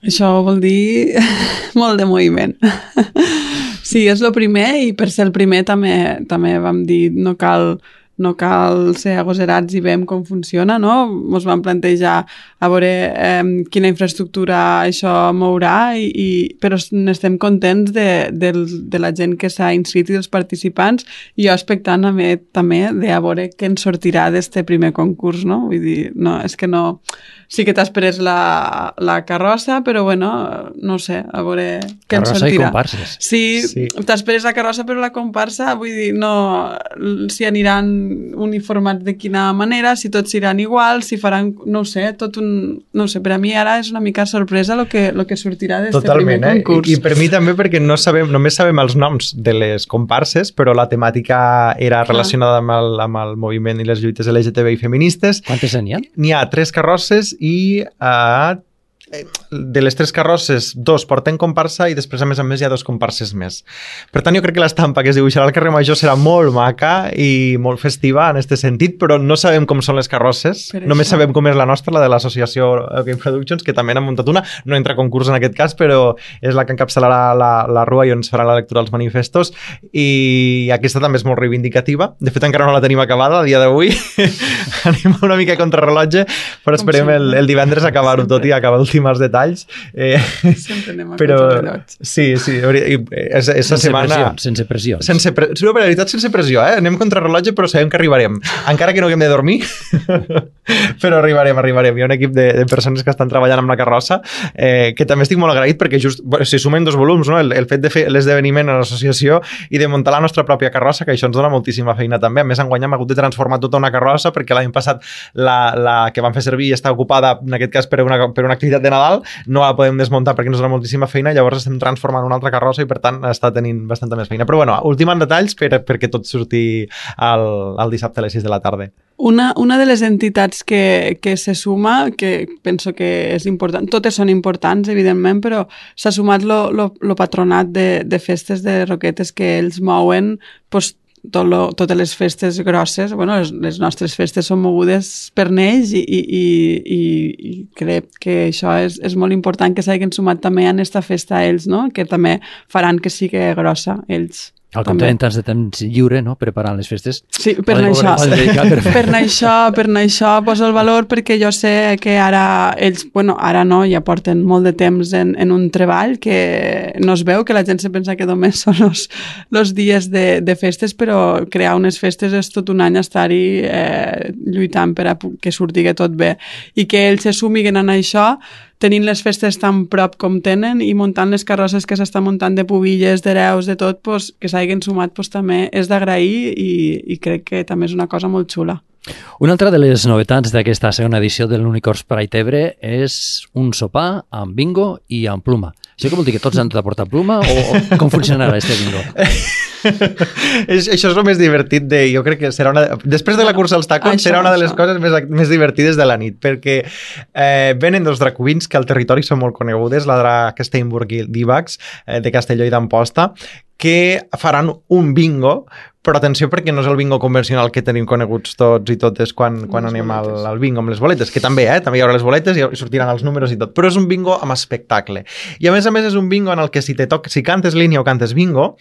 Això vol dir molt de moviment. Sí, és el primer i per ser el primer també, també vam dir no cal, no cal ser agosarats i veiem com funciona, no? Ens vam plantejar a veure eh, quina infraestructura això mourà, i, i, però n'estem contents de, de, de la gent que s'ha inscrit i dels participants, i jo expectant també, també de a veure què ens sortirà d'este primer concurs, no? Vull dir, no, és que no... Sí que t'esperes la, la carrossa, però bueno, no sé, a veure què ens sortirà. Carrossa i comparses. Sí, sí. T'esperes la carrossa, però la comparsa, vull dir, no, si aniran uniformats de quina manera, si tots iran igual, si faran, no ho sé, tot un... No ho sé, per a mi ara és una mica sorpresa el que, lo que sortirà d'este primer concurs. Eh? I, I per mi també, perquè no sabem, només sabem els noms de les comparses, però la temàtica era relacionada amb el, amb el moviment i les lluites L G T B I feministes. Quantes n'hi ha? N'hi ha tres carrosses i uh, de les tres carrosses, dos porten comparsa i després, a més a més, hi ha dos comparses més. Per tant, jo crec que l'estampa que es dibuixarà al carrer Major serà molt maca i molt festiva en aquest sentit, però no sabem com són les carrosses. Només sabem com és la nostra, la de l'associació Game Productions, que també n'ha muntat una. No entra a concurs en aquest cas, però és la que encapçalarà la, la rua i on es farà la lectura dels manifestos, i aquesta també és molt reivindicativa. De fet, encara no la tenim acabada a dia d'avui. Anem una mica a contrarrellotge, però esperem el, el divendres acabar-ho tot i acabar d'últim els detalls. Eh, Sempre anem a però, contrarrellotge. Sí, sí. Aquesta setmana... Pressió, sense pressió. Sense pre... Sí, per veritat, sense pressió, eh? Anem contrarrellotge, però sabem que arribarem. Encara que no haguem de dormir, però arribarem, arribarem. Hi ha un equip de, de persones que estan treballant amb la carrossa, eh, que també estic molt agraït perquè just, bueno, si sumen dos volums, no? el, el fet de fer l'esdeveniment a l'associació i de muntar la nostra pròpia carrossa, que això ens dona moltíssima feina també. A més, enguany hem hagut de transformar tota una carrossa perquè l'any passat la, la que vam fer servir està ocupada, en aquest cas, per una, per una activitat de Nadal, no la podem desmuntar perquè ens dona moltíssima feina, llavors estem transformant una altra carrossa i per tant està tenint bastanta més feina. Però bueno, ultimant detalls per, perquè tot surti el, el dissabte a les sis de la tarda. Una, una de les entitats que, que se suma, que penso que és important, totes són importants, evidentment, però s'ha sumat lo, lo, lo patronat de, de festes de Roquetes, que ells mouen pues, tot lo, totes les festes grosses. Bueno, les, les nostres festes són mogudes per ells i, i, i, i crec que això és, és molt important que s'hagin sumat també en aquesta festa a ells, no? Que també faran que sigui grossa ells. Al compte de temps de temps lliure, no? Preparant les festes. Sí, per això. Per, per això, per això poso el valor, perquè jo sé que ara ells, bueno, ara no, ja porten molt de temps en, en un treball que no es veu, que la gent se pensa que només són els, els dies de, de festes, però crear unes festes és tot un any estar-hi eh, lluitant per a que surti tot bé. I que ells se sumiguen en això, tenint les festes tan prop com tenen i muntant les carrosses que s'estan muntant de pubilles, d'hereus, de tot, pues, que s'hagin sumat pues, també és d'agrair i, i crec que també és una cosa molt xula. Una altra de les novetats d'aquesta segona edició de l'Unicorns Pride Ebre és un sopar amb bingo i amb pluma. Això que vol dir que tots han de portar pluma o, o com funcionarà este bingo? Això és el més divertit de... Jo crec que serà una... Després de la cursa als tacons això, serà una de les això. coses més, més divertides de la nit, perquè eh, venen dos drag queens que al territori són molt conegudes, la drag Steinburg i Divax, eh, de Castelló i d'Amposta, que faran un bingo, però atenció perquè no és el bingo convencional que tenim coneguts tots i totes quan, quan anem al, al bingo amb les boletes, que també, eh? També hi haurà les boletes i sortiran els números i tot, però és un bingo amb espectacle. I a més a més és un bingo en el que si, te toc, si cantes línia o cantes bingo,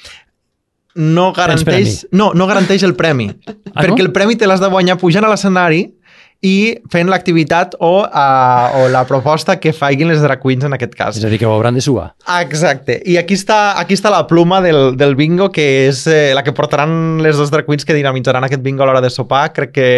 no garanteix, no, no garanteix el premi, ah, perquè no? El premi te l'has de guanyar pujant a l'escenari i fent l'activitat o, uh, o la proposta que facin les drag queens en aquest cas. És a dir, que ho hauran de suar. Exacte. I aquí està, aquí està la pluma del, del bingo, que és eh, la que portaran les dos drag queens que dinamitzaran aquest bingo a l'hora de sopar. Crec que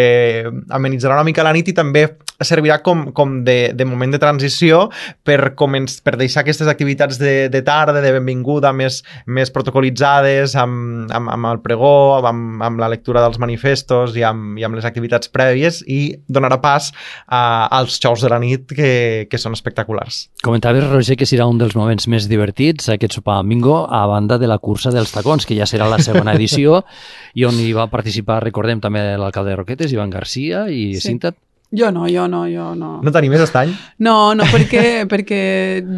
amenitzarà una mica la nit i també servirà com, com de, de moment de transició per, començ, per deixar aquestes activitats de, de tarda, de benvinguda, més, més protocolitzades, amb, amb, amb el pregó, amb, amb la lectura dels manifestos i amb, i amb les activitats prèvies, i donarà pas a, als xous de la nit que, que són espectaculars. Comentaves, Roger, que serà un dels moments més divertits aquest sopar amb bingo, a banda de la cursa dels tacons, que ja serà la segona edició, i on hi va participar, recordem, també l'alcalde de Roquetes, Ivan Garcia, i sí. Cinta. Jo no, jo no, jo no. No t'animes aquest any? No, no, perquè, perquè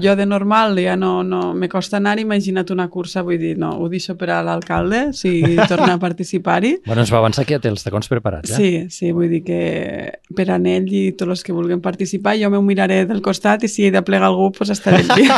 jo de normal ja no, no me costa anar, imagina't una cursa, vull dir, no, ho deixo per a l'alcalde, si torna a participar-hi. Bueno, ens va avançar que ja té els tacons preparats, eh? Sí, sí, vull dir que per a ell i tots els que vulguin participar, jo m'ho miraré del costat i si he de plegar algú, doncs estaré allí.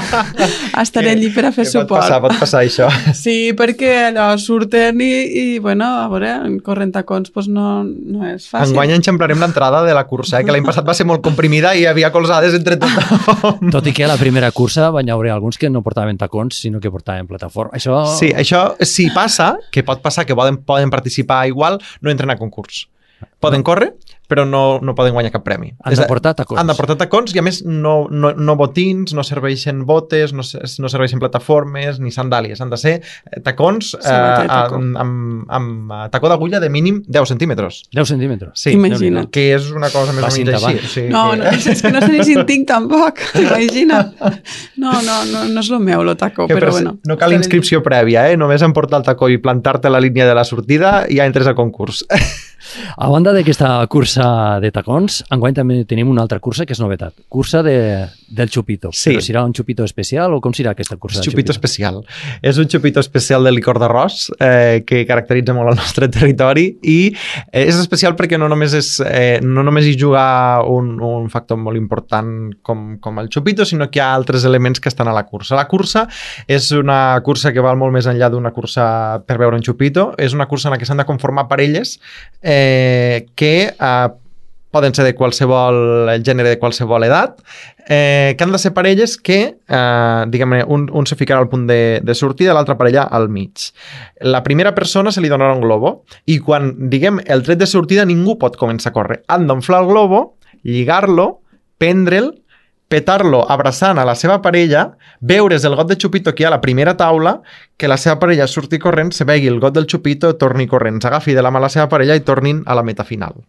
estaré allí per a fer suport. Pot passar, pot passar això. Sí, perquè allò surten i, i bueno, a veure, corrent tacons doncs no, no és fàcil. Enguany enxamplarem l'entrada de la cursa, eh, que l'any passat va ser molt comprimida i hi havia colzades entre tothom. Tot i que a la primera cursa van haver alguns que no portaven tacons, sinó que portaven plataforma. Això... Sí, això si passa, que pot passar, que poden, poden participar igual, no entren a concurs. Poden córrer, però no, no poden guanyar cap premi. Han de portar tacons. Han de portar tacons i, a més, no, no, no botins, no serveixen botes, no, no serveixen plataformes ni sandàlies. Han de ser tacons eh, taco. amb, amb, amb tacó d'agulla de mínim deu centímetres. deu centímetres? Sí, imagina't. Que és una cosa més o menys així. Sí, no, que... no, és que no sé ni si en tinc tampoc, imagina't. No, no, no, no és el meu, el tacó, que, però però bueno. No cal inscripció prèvia, eh? Només en portar el tacó i plantar-te a la línia de la sortida i ja entres a concurs. A banda d'aquesta cursa de tacons, enguany també tenim una altra cursa que és novetat. Cursa de, del xupito. Sí. Però serà un xupito especial o com serà aquesta cursa És del xupito xupito? especial. És un xupito especial de licor d'arròs eh, que caracteritza molt el nostre territori i eh, és especial perquè no només, és, eh, no només hi juga un, un factor molt important com, com el xupito, sinó que hi ha altres elements que estan a la cursa. La cursa és una cursa que val molt més enllà d'una cursa per veure un xupito. És una cursa en la que s'han de conformar parelles eh, que eh, poden ser de qualsevol gènere, de qualsevol edat, eh, que han de ser parelles que, eh, diguem-ne, un, un se ficarà al punt de, de sortida, l'altra parella al mig. La primera persona se li donarà un globo i quan, diguem, el tret de sortida ningú pot començar a córrer. Han d'enflar el globo, lligar-lo, prendre'l, petar-lo abraçant a la seva parella, beure's el got de xupito que hi ha a la primera taula, que la seva parella surti corrent, se begui el got del xupito, torni corrent, s'agafi de la mà a la seva parella i tornin a la meta final.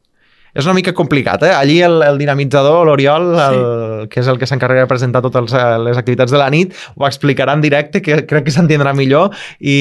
És una mica complicat, eh? Allí el, el dinamitzador, l'Oriol, el, sí. que és el que s'encarrega de presentar totes les activitats de la nit, ho explicarà en directe, que crec que s'entendrà millor i,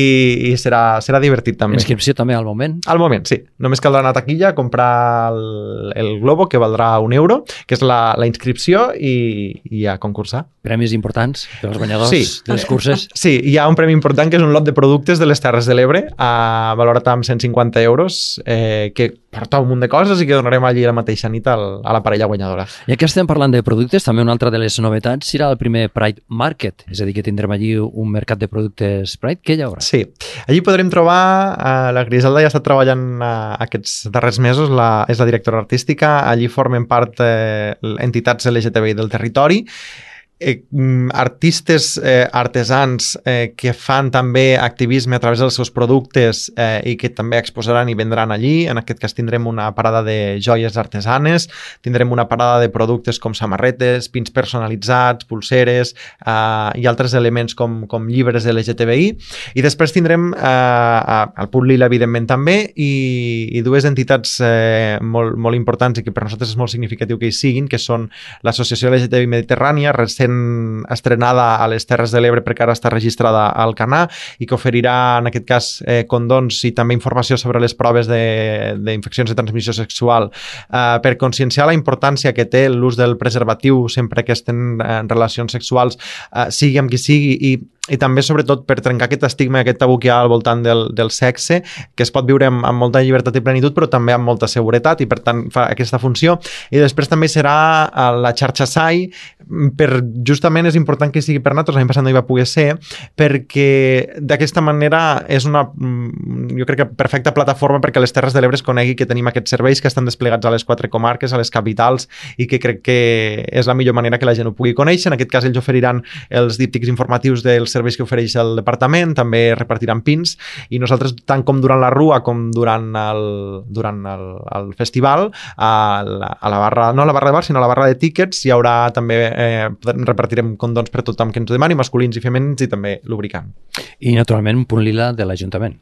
i serà, serà divertit també. Inscripció també al moment? Al moment, sí. Només caldrà anar a taquilla, comprar el, el globo, que valdrà un euro, que és la, la inscripció, i, i a concursar. Premis importants per als guanyadors sí. de les curses? Sí, hi ha un premi important que és un lot de productes de les Terres de l'Ebre, a valorat amb cent cinquanta euros, eh, que porta un munt de coses i que donarem allí la mateixa nit al, a la parella guanyadora. Ja que estem parlant de productes, també una altra de les novetats serà el primer Pride Market, és a dir, que tindrem allí un mercat de productes Pride. Què hi haurà? Sí, allí podrem trobar, eh, la Griselda ja ha estat treballant eh, aquests darrers mesos, la, és la directora artística, allí formen part eh, entitats L G T B I del territori, Eh, artistes, eh, artesans eh, que fan també activisme a través dels seus productes eh, i que també exposaran i vendran allí. En aquest cas tindrem una parada de joies artesanes, tindrem una parada de productes com samarretes, pins personalitzats, pulseres eh, i altres elements com, com llibres L G T B I. I després tindrem eh, el Punt Lila, evidentment, també, i, i dues entitats eh, molt, molt importants i que per nosaltres és molt significatiu que hi siguin, que són l'Associació L G T B I Mediterrània, recent estrenada a les Terres de l'Ebre perquè ara està registrada al Canà i que oferirà en aquest cas eh, condons i també informació sobre les proves d'infeccions de, de transmissió sexual eh, per conscienciar la importància que té l'ús del preservatiu sempre que estem en relacions sexuals, eh, sigui amb qui sigui, i i també, sobretot, per trencar aquest estigma, aquest tabú que hi ha al voltant del, del sexe, que es pot viure amb, amb molta llibertat i plenitud, però també amb molta seguretat, i per tant fa aquesta funció. I després també serà la xarxa S A I, per, justament és important que sigui per nosaltres, l'any passat no hi va poder ser, perquè d'aquesta manera és una, jo crec que perfecta plataforma perquè les Terres de l'Ebre es conegui que tenim aquests serveis que estan desplegats a les quatre comarques, a les capitals, i que crec que és la millor manera que la gent ho pugui conèixer. En aquest cas ells oferiran els díptics informatius dels serveis que ofereix el departament, també repartiran pins, i nosaltres, tant com durant la rua com durant el, durant el, el festival, a la, a la barra, no a la barra de bar, sinó a la barra de tíquets, hi haurà també, eh, repartirem condons per tothom que ens ho demani, masculins i femenins, i també lubricant. I, naturalment, un punt lila de l'Ajuntament.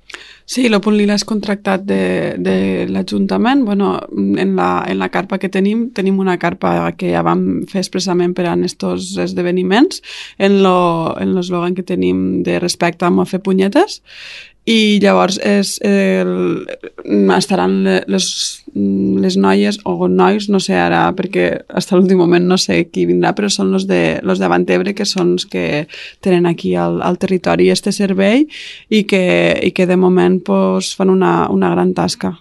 Sí, el punt lila és contractat de, de l'Ajuntament. Bueno, en la, en la carpa que tenim, tenim una carpa que ja vam fer expressament per a aquests esdeveniments, en l'eslògan que tenim de respecte a fer punyetes, i llavors és el, estaran les, les noies o nois, no sé ara, perquè fins a l'últim moment no sé qui vindrà, però són els de, los de Avantebre, que són els que tenen aquí al, al territori este servei i que, i que de moment pues, fan una, una gran tasca.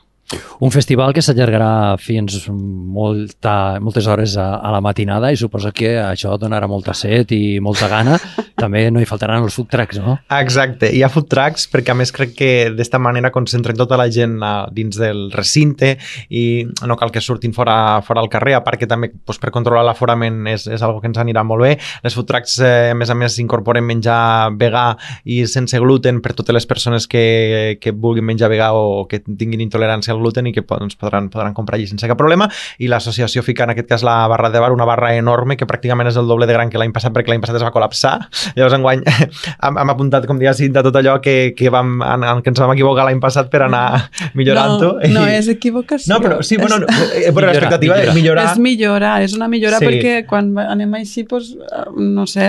Un festival que s'allargarà fins molta, moltes hores a, a la matinada, i suposo que això donarà molta set i molta gana. També no hi faltaran els food trucks, no? Exacte, hi ha food trucks perquè a més crec que d'esta manera concentren tota la gent dins del recinte i no cal que surtin fora, fora al carrer, a part que també doncs, per controlar l'aforament és, és algo que ens anirà molt bé. Les food trucks, eh, a més a més, incorporen menjar vegà i sense gluten per totes les persones que, que vulguin menjar vegà o que tinguin intolerància al gluten i que doncs, podran, podran comprar allí sense cap problema, i l'associació fica en aquest cas la barra de bar, una barra enorme que pràcticament és el doble de gran que l'any passat, perquè l'any passat es va col·lapsar. Llavors enguany hem, hem apuntat, com digues, de tot allò que, que, vam, en, en, que ens vam equivocar l'any passat per anar millorant-ho. No, no és equivocació. No, però sí, bueno, és, però l'expectativa de millorar... És millorar, és una millora, sí. Perquè quan anem així, doncs, no sé,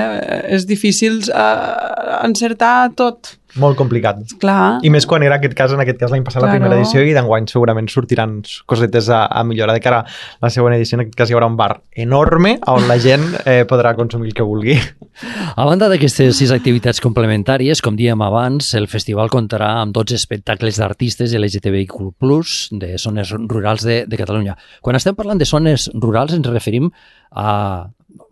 és difícil uh, encertar tot. Molt complicat. Clar. I més quan era aquest cas, en aquest cas l'any passat, claro. La primera edició, i d'enguany segurament sortiran cosetes a, a millorar de cara a la següent edició. En aquest cas hi haurà un bar enorme on la gent eh, podrà consumir el que vulgui. A banda d'aquestes sis activitats complementàries, com dèiem abans, el festival comptarà amb dotze espectacles d'artistes L G T B I Q plus, de zones rurals de, de Catalunya. Quan estem parlant de zones rurals ens referim a...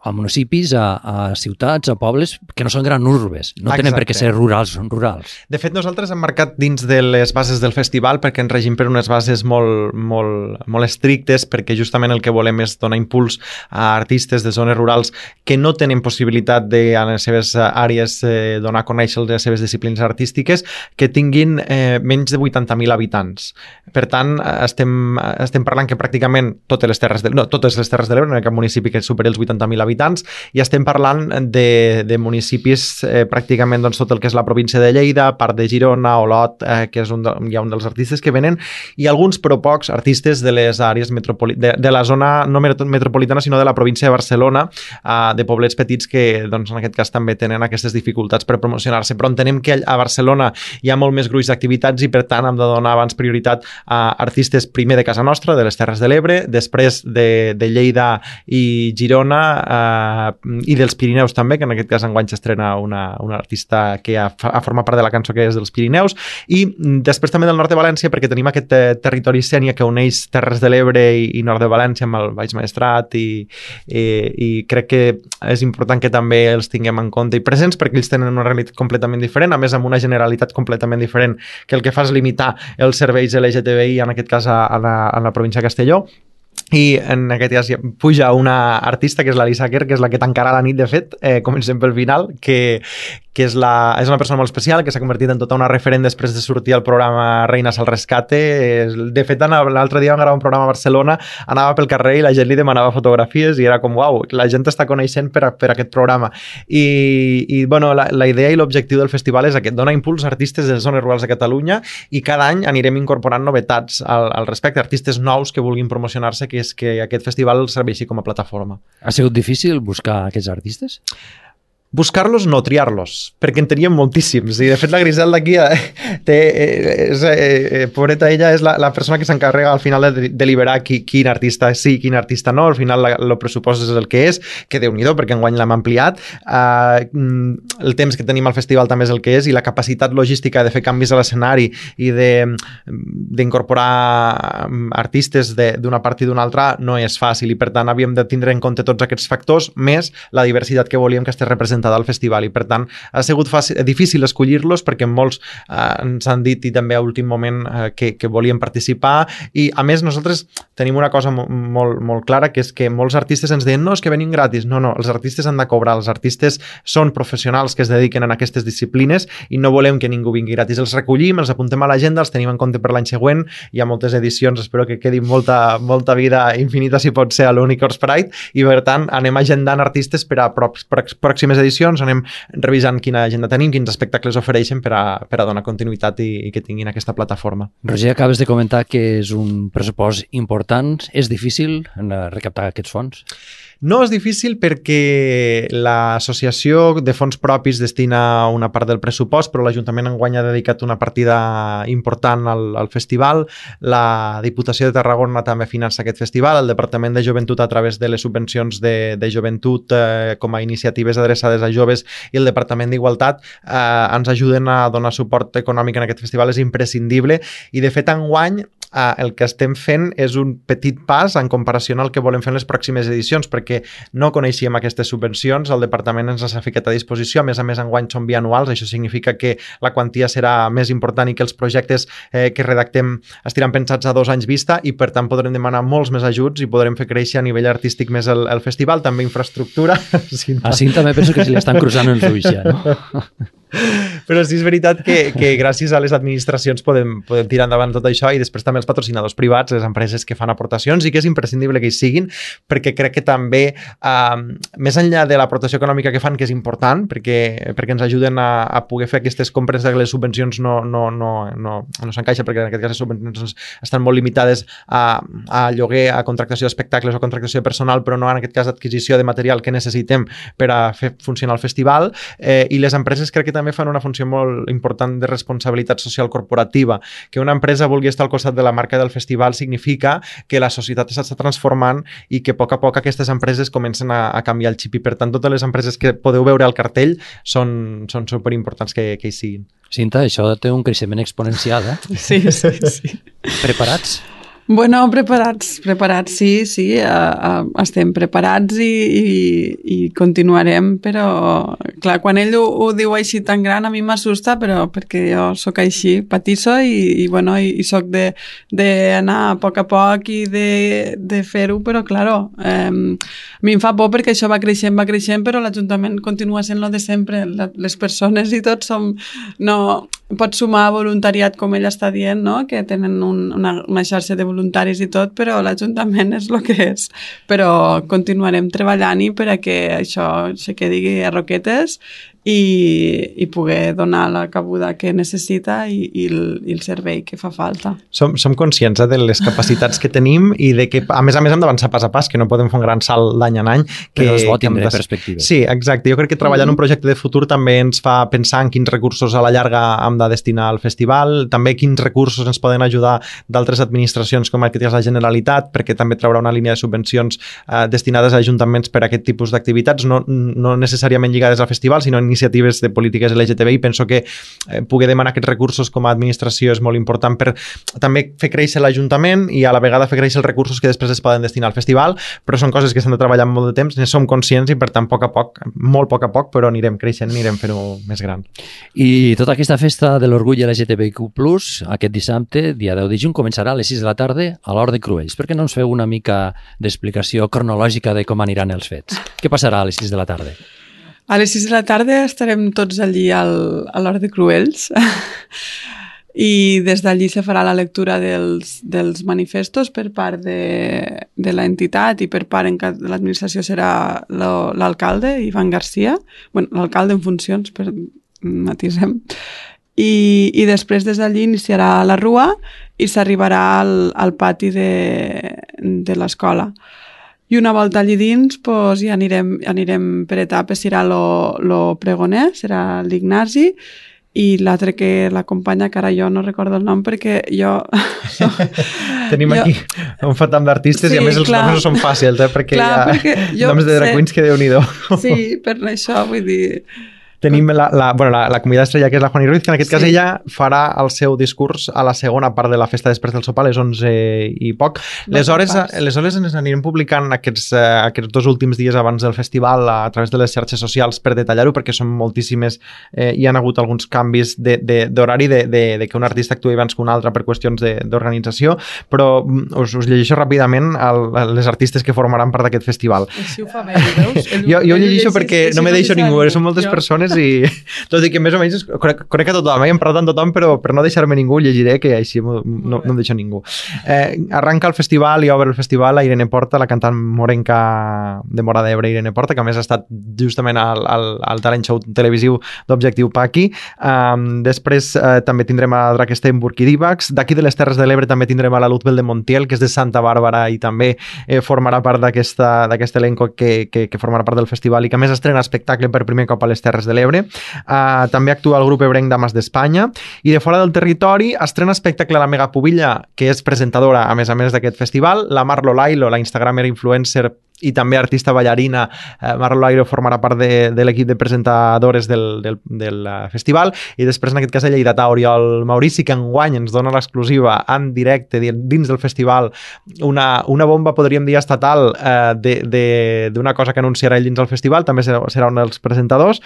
a municipis, a, a ciutats, a pobles que no són gran urbes, no Exacte. Tenen per què ser rurals, són rurals. De fet, nosaltres hem marcat dins de les bases del festival perquè ens regim per unes bases molt, molt, molt estrictes, perquè justament el que volem és donar impuls a artistes de zones rurals que no tenen possibilitat de, a les seves àrees, eh, donar a conèixer les seves disciplines artístiques, que tinguin eh, menys de vuitanta mil habitants. Per tant, estem, estem parlant que pràcticament totes les terres de, no, totes les terres de l'Ebre, no hi ha cap municipi que superi els vuitanta mil habitants, i estem parlant de, de municipis eh, pràcticament doncs, tot el que és la província de Lleida, part de Girona, Olot, eh, que és un de, hi ha un dels artistes que venen, i alguns, però pocs, artistes de les àrees metropoli- de, de la zona no metropolitana, sinó de la província de Barcelona, eh, de poblets petits que doncs, en aquest cas també tenen aquestes dificultats per promocionar-se, però entenem que a Barcelona hi ha molt més gruix d'activitats i per tant hem de donar abans prioritat a artistes primer de casa nostra, de les Terres de l'Ebre, després de, de Lleida i Girona, Uh, i dels Pirineus també, que en aquest cas enguany s'estrena una, una artista que ha, ha format part de la cançó, que és dels Pirineus, i després també del nord de València, perquè tenim aquest eh, territori sènia que uneix Terres de l'Ebre i, i nord de València amb el Baix Maestrat, i, i, i crec que és important que també els tinguem en compte i presents, perquè ells tenen una realitat completament diferent, a més amb una generalitat completament diferent, que el que fa és limitar els serveis L G T B I, en aquest cas a, a, la, a la província de Castelló. I en aquest cas puja una artista que és l'Alisa Kerr, que és la que tancarà la nit, de fet, eh, comencem pel final, que, que és, la, és una persona molt especial, que s'ha convertit en tota una referent després de sortir al programa Reines al Rescate. De fet, l'altre dia vam gravar un programa a Barcelona, anava pel carrer i la gent li demanava fotografies i era com, uau, la gent està coneixent per, a, per aquest programa. I, i bueno, la, la idea i l'objectiu del festival és aquest, donar impuls a artistes de les zones rurals de Catalunya, i cada any anirem incorporant novetats al, al respecte, artistes nous que vulguin promocionar-se, que és que aquest festival serveixi com a plataforma. Ha sigut difícil buscar aquests artistes? buscar-los, no triar-los, perquè en teníem moltíssims. I, de fet, la Griselda aquí eh, té, és, eh, pobreta, ella és la, la persona que s'encarrega al final de deliberar qui, quin artista sí, quin artista no. Al final el pressupost és el que és, que Déu-n'hi-do, perquè enguany l'hem ampliat. Uh, el temps que tenim al festival també és el que és, i la capacitat logística de fer canvis a l'escenari i d'incorporar artistes d'una part i d'una altra no és fàcil, i per tant havíem de tindre en compte tots aquests factors, més la diversitat que volíem que estigués representada al festival, i per tant ha sigut fàcil, difícil escollir-los, perquè molts eh, ens han dit, i també a últim moment, eh, que, que volien participar, i a més nosaltres tenim una cosa molt, molt, molt clara, que és que molts artistes ens deien, no, és que venim gratis. No, no, els artistes han de cobrar, els artistes són professionals que es dediquen a aquestes disciplines i no volem que ningú vingui gratis. Els recollim, els apuntem a l'agenda, els tenim en compte per l'any següent, hi ha moltes edicions, espero que quedi molta, molta vida infinita, si pot ser, a l'Unicorns Pride, i per tant anem agendant artistes per a pròximes edicions, anem revisant quina agenda tenim, quins espectacles ofereixen per a, per a donar continuïtat i, i que tinguin aquesta plataforma. Roger, acabes de comentar que és un pressupost important. És difícil recaptar aquests fons? No és difícil perquè l'associació de fons propis destina una part del pressupost, però l'Ajuntament enguany ha dedicat una partida important al, al festival. La Diputació de Tarragona també finança aquest festival, el Departament de Joventut a través de les subvencions de, de joventut eh, com a iniciatives adreçades a joves, i el Departament d'Igualtat eh, ens ajuden a donar suport econòmic en aquest festival. És imprescindible, i de fet enguany eh, el que estem fent és un petit pas en comparació al que volem fer en les pròximes edicions, perquè no coneixíem aquestes subvencions, el Departament ens les ha ficat a disposició, a més a més enguany són bianuals, això significa que la quantia serà més important i que els projectes eh, que redactem estiran pensats a dos anys vista, i per tant podrem demanar molts més ajuts i podrem fer créixer a nivell artístic més el, el festival, també infraestructura. A Cinta també penso que se li estan cruzant els ulls ja, no? Però sí és veritat que, que gràcies a les administracions podem, podem tirar endavant tot això, i després també els patrocinadors privats, les empreses que fan aportacions, i que és imprescindible que hi siguin, perquè crec que també eh, més enllà de l'aportació econòmica que fan, que és important perquè, perquè ens ajuden a, a poder fer aquestes compres de les subvencions no, no, no, no, no s'encaixa, perquè en aquest cas les subvencions estan molt limitades a, a lloguer, a contractació d'espectacles o contractació de personal, però no en aquest cas adquisició de material que necessitem per a fer funcionar el festival, eh, i les empreses crec que també fan una funció molt important de responsabilitat social corporativa. Que una empresa vulgui estar al costat de la marca del festival significa que la societat s'està transformant i que a poc a poc aquestes empreses comencen a, a canviar el xip, i per tant totes les empreses que podeu veure al cartell són, són superimportants que, que hi siguin. Cinta, això té un creixement exponencial, eh? Sí, sí, sí. Preparats? Bueno, preparats, preparats, sí, sí, uh, uh, estem preparats i, i, i continuarem, però clar, quan ell ho, ho diu així tan gran a mi m'assusta, però perquè jo sóc així, patisso i, i bueno, i, i sóc d'anar a poc a poc i de, de fer-ho, però claro, eh, a mi em fa por perquè això va creixent, va creixent, però l'Ajuntament continua sent lo de sempre, la, les persones i tots som, no, pots sumar voluntariat com ell està dient, no? Que tenen un, una, una xarxa de voluntaris i tot, però l'Ajuntament és el que és. Però continuarem treballant-hi per a que això se quedi a roquetes i, i poder donar la cabuda que necessita i, i, el, i el servei que fa falta. Som, som conscients eh, de les capacitats que tenim i de que, a més a més, hem d'avançar pas a pas, que no podem fer un gran salt d'any en any. Que, però és bo que tindre de... perspectives. Sí, exacte. Jo crec que treballar mm-hmm. en un projecte de futur també ens fa pensar en quins recursos a la llarga hem de destinar al festival, també quins recursos ens poden ajudar d'altres administracions com aquest és la Generalitat, perquè també traurà una línia de subvencions eh, destinades a ajuntaments per a aquest tipus d'activitats, no, no necessàriament lligades al festival, sinó iniciatives de polítiques L G T B I. Penso que eh, poder demanar aquests recursos com a administració és molt important per també fer créixer l'Ajuntament i a la vegada fer créixer els recursos que després es poden destinar al festival, però són coses que s'han de treballar molt de temps, ne som conscients i per tant a poc a poc, molt a poc a poc, però anirem creixent, anirem fent-ho més gran. I tota aquesta festa de l'orgull L G T B I Q plus, aquest dissabte, dia deu de juny, començarà a les sis de la tarda a l'Hort de Cruells. Per què no ens feu una mica d'explicació cronològica de com aniran els fets? Què passarà a les sis de la tarda? A les sis de la tarda estarem tots allí al, a l'Hort de Cruells i des d'allí se farà la lectura dels, dels manifestos per part de, de l'entitat i per part en de l'administració serà l'alcalde, Ivan Garcia, bueno, l'alcalde en funcions, per matisem, i, i després des d'allí iniciarà la rua i s'arribarà al, al pati de, de l'escola. I una volta allí dins pues, ja anirem, anirem per etapes, serà lo, lo pregoner, serà l'Ignasi, i l'altre que l'acompanya, que ara jo no recordo el nom perquè jo... Tenim jo... aquí un fatam d'artistes sí, i a més els clar. noms no són fàcils, eh? perquè clar, hi ha perquè noms de drag queens que déu-n'hi-do. Sí, per això vull dir... Tenim la, la, bueno, la, la convidada estrella, que és la Juani Ruiz, que en aquest sí. cas ella farà el seu discurs a la segona part de la festa després del sopar, a les onze i poc. Les hores, les hores ens anirem publicant aquests, uh, aquests dos últims dies abans del festival a, a través de les xarxes socials per detallar-ho, perquè són moltíssimes, eh, hi ha hagut alguns canvis d'horari, de, de, de, de que un artista actuï abans que un altre per qüestions d'organització, però us, us llegeixo ràpidament el, les artistes que formaran part d'aquest festival. Així ho fa bé, veus? El, jo, jo llegeixo perquè no me deixo ningú, són moltes jo. persones i tot i que més o menys conec, conec a tothom, eh? Hem parlat amb tothom, però per no deixar-me ningú llegiré que així no, no em deixo ningú. Eh, arranca el festival i obre el festival a Irene Porta, la cantant morenca de Móra d'Ebre, Irene Porta, que a més ha estat justament al, al, al talent show televisiu d'Objectiu Paqui. Um, després eh, també tindrem a Drakensteinburg i Divax. D'aquí de les Terres de l'Ebre també tindrem a la Luzbel de Montiel, que és de Santa Bàrbara i també eh, formarà part d'aquest elenco que, que, que formarà part del festival i que a més estrena espectacle per primer cop a les Terres de l'Ebre. Uh, també actua el grup ebrenc Dames d'Espanya i de fora del territori estrena espectacle a la Mega Pubilla, que és presentadora a més a més d'aquest festival, la Marlo Lailo, la instagramer influencer i també artista ballarina. eh, Marlo Lailo formarà part de, de l'equip de presentadores del, del, del festival, i després en aquest cas el lleidatà Oriol Maurici, que enguany ens dona l'exclusiva en directe dins del festival, una, una bomba, podríem dir, estatal eh, d'una cosa que anunciarà ell dins del festival, també serà, serà un dels presentadors.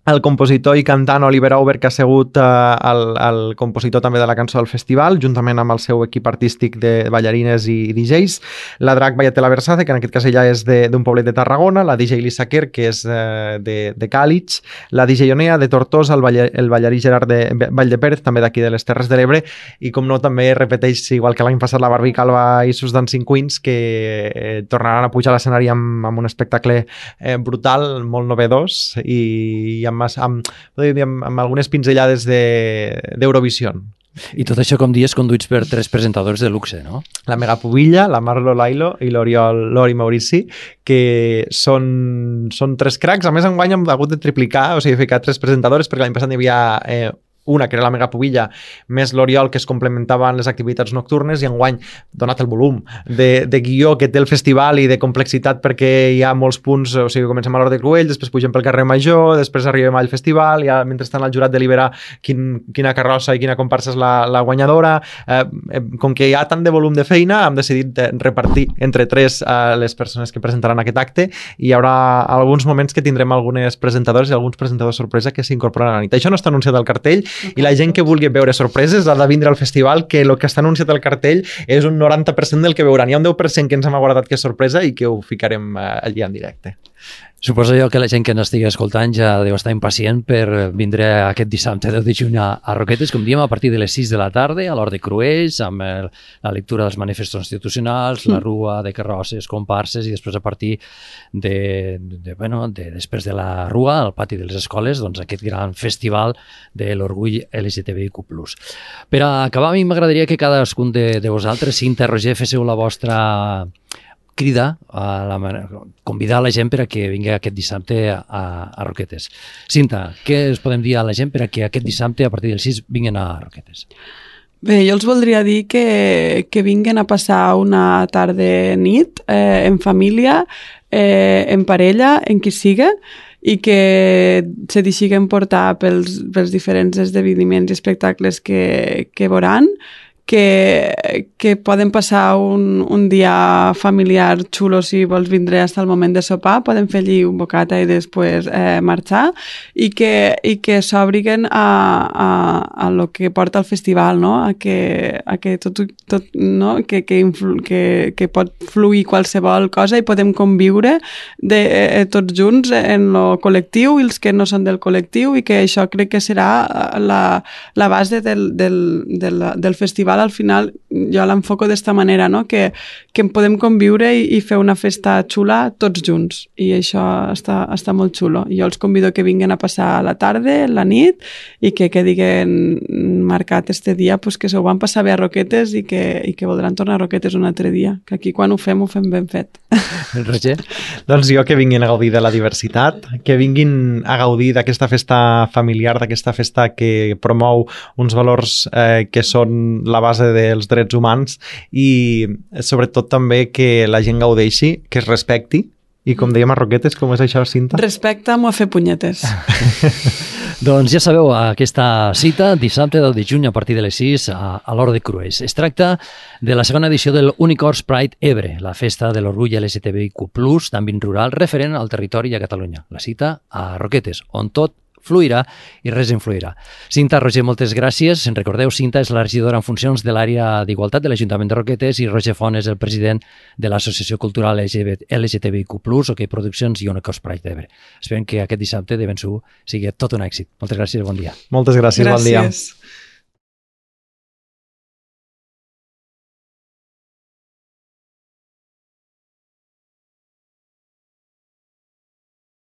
El compositor i cantant Oliver Auber, que ha sigut eh, el, el compositor també de la cançó del festival, juntament amb el seu equip artístic de ballarines i D Js. La drac Vallatela Versace, que en aquest cas ella és d'un poblet de Tarragona, la D J Lisa Kerr, que és eh, de, de Càlig, la D J Onea de Tortosa, el, baller, el ballarí Gerard de Vall de Pérez, també d'aquí de les Terres de l'Ebre, i com no també repeteix, igual que l'any passat, la Barbie Calva i sus Dancing Queens, que eh, tornaran a pujar a l'escenari amb, amb un espectacle eh, brutal, molt novedós i amb, amb, amb, amb algunes pinzellades d'Eurovisió. I tot això, com dius, conduïts per tres presentadors de luxe, no? La Mega Pubilla, la Marlo Lailo i l'Oriol Lori Maurici, que són, són tres cracs. A més, enguany hem hagut de triplicar, o sigui, ficar tres presentadores, perquè l'any passat hi havia eh, una, que era la Mega Pubilla, més l'Oriol, que es complementaven les activitats nocturnes, i enguany, donat el volum de, de guió que té el festival i de complexitat, perquè hi ha molts punts, o sigui, comencem a l'Hort de Cruells, després pugem pel carrer Major, després arribem al festival, ja mentrestant el jurat delibera quin, quina carrossa i quina comparsa és la, la guanyadora. Eh, com que hi ha tant de volum de feina, hem decidit repartir entre tres eh, les persones que presentaran aquest acte, i hi haurà alguns moments que tindrem algunes presentadores i alguns presentadors sorpresa que s'incorporaran a la nit. Això no està anunciat al cartell, i la gent que vulgui veure sorpreses ha de vindre al festival, que el que està anunciat al cartell és un noranta per cent del que veuran. Hi ha un deu per cent que ens hem aguardat que és sorpresa i que ho ficarem allà en directe. Suposo jo que la gent que ens estigui escoltant ja deu estar impacient per vindre aquest dissabte deu de juny a, a Roquetes, com diem, a partir de les sis de la tarda, a l'Hort de Cruells, amb el, la lectura dels manifestos institucionals, la rua de carrosses, comparses, i després a partir de, de, bueno, de, després de la rua, al pati de les escoles, doncs aquest gran festival de l'orgull L G T B I Q plus. Per a acabar, a mi m'agradaria que cadascun de, de vosaltres, Cinta, Roger, féssiu la vostra crida, a la, convidar la gent per a que vingui aquest dissabte a, a Roquetes. Cinta, què us podem dir a la gent per a que aquest dissabte, a partir del sis, vinguin a Roquetes? Bé, jo els voldria dir que, que vinguin a passar una tarda-nit eh, en família, eh, en parella, en qui siga, i que se deixiguen portar pels, pels diferents esdeveniments i espectacles que, que veuran, que, que poden passar un, un dia familiar xulo si vols vindre fins al moment de sopar, poden fer allí un bocata i després eh, marxar, i que, i que s'obriguen a, a, a lo que porta el festival, no? A que, a que tot, tot no? que, que, influ, que, que pot fluir qualsevol cosa i podem conviure de, eh, tots junts en lo col·lectiu i els que no són del col·lectiu, i que això crec que serà la, la base del, del, del, del festival festival al final jo l'enfoco d'esta manera, no? que, que podem conviure i, i fer una festa xula tots junts, i això està, està molt xulo. Jo els convido que vinguin a passar la tarda, la nit, i que quedin marcat este dia pues, que s'ho van passar bé a Roquetes i que, i que voldran tornar a Roquetes un altre dia, que aquí quan ho fem, ho fem ben fet. Roger? Doncs jo que vinguin a gaudir de la diversitat, que vinguin a gaudir d'aquesta festa familiar, d'aquesta festa que promou uns valors eh, que són la base dels drets humans i sobretot també que la gent gaudeixi, que es respecti i com dèiem a Roquetes, com és això, Cinta? Respecta'm o a fer punyetes. Doncs ja sabeu, aquesta cita, dissabte deu de juny a partir de les sis a, a l'Hort de Crues. Es tracta de la segona edició del Unicorns Pride Ebre, la festa de l'orgull L G T B I Q plus, d'àmbit rural, referent al territori i a Catalunya. La cita a Roquetes, on tot fluirà i res influirà. Cinta, Roger, moltes gràcies. En recordeu, Cinta és la regidora en funcions de l'àrea d'Igualtat de l'Ajuntament de Roquetes i Roger Font és el president de l'Associació Cultural L G T B I Q plus, OK Produccions i Unicorns Pride d'Ebre. Esperem que aquest dissabte de ben segur sigui tot un èxit. Moltes gràcies i bon dia. Moltes gràcies, gràcies. bon dia.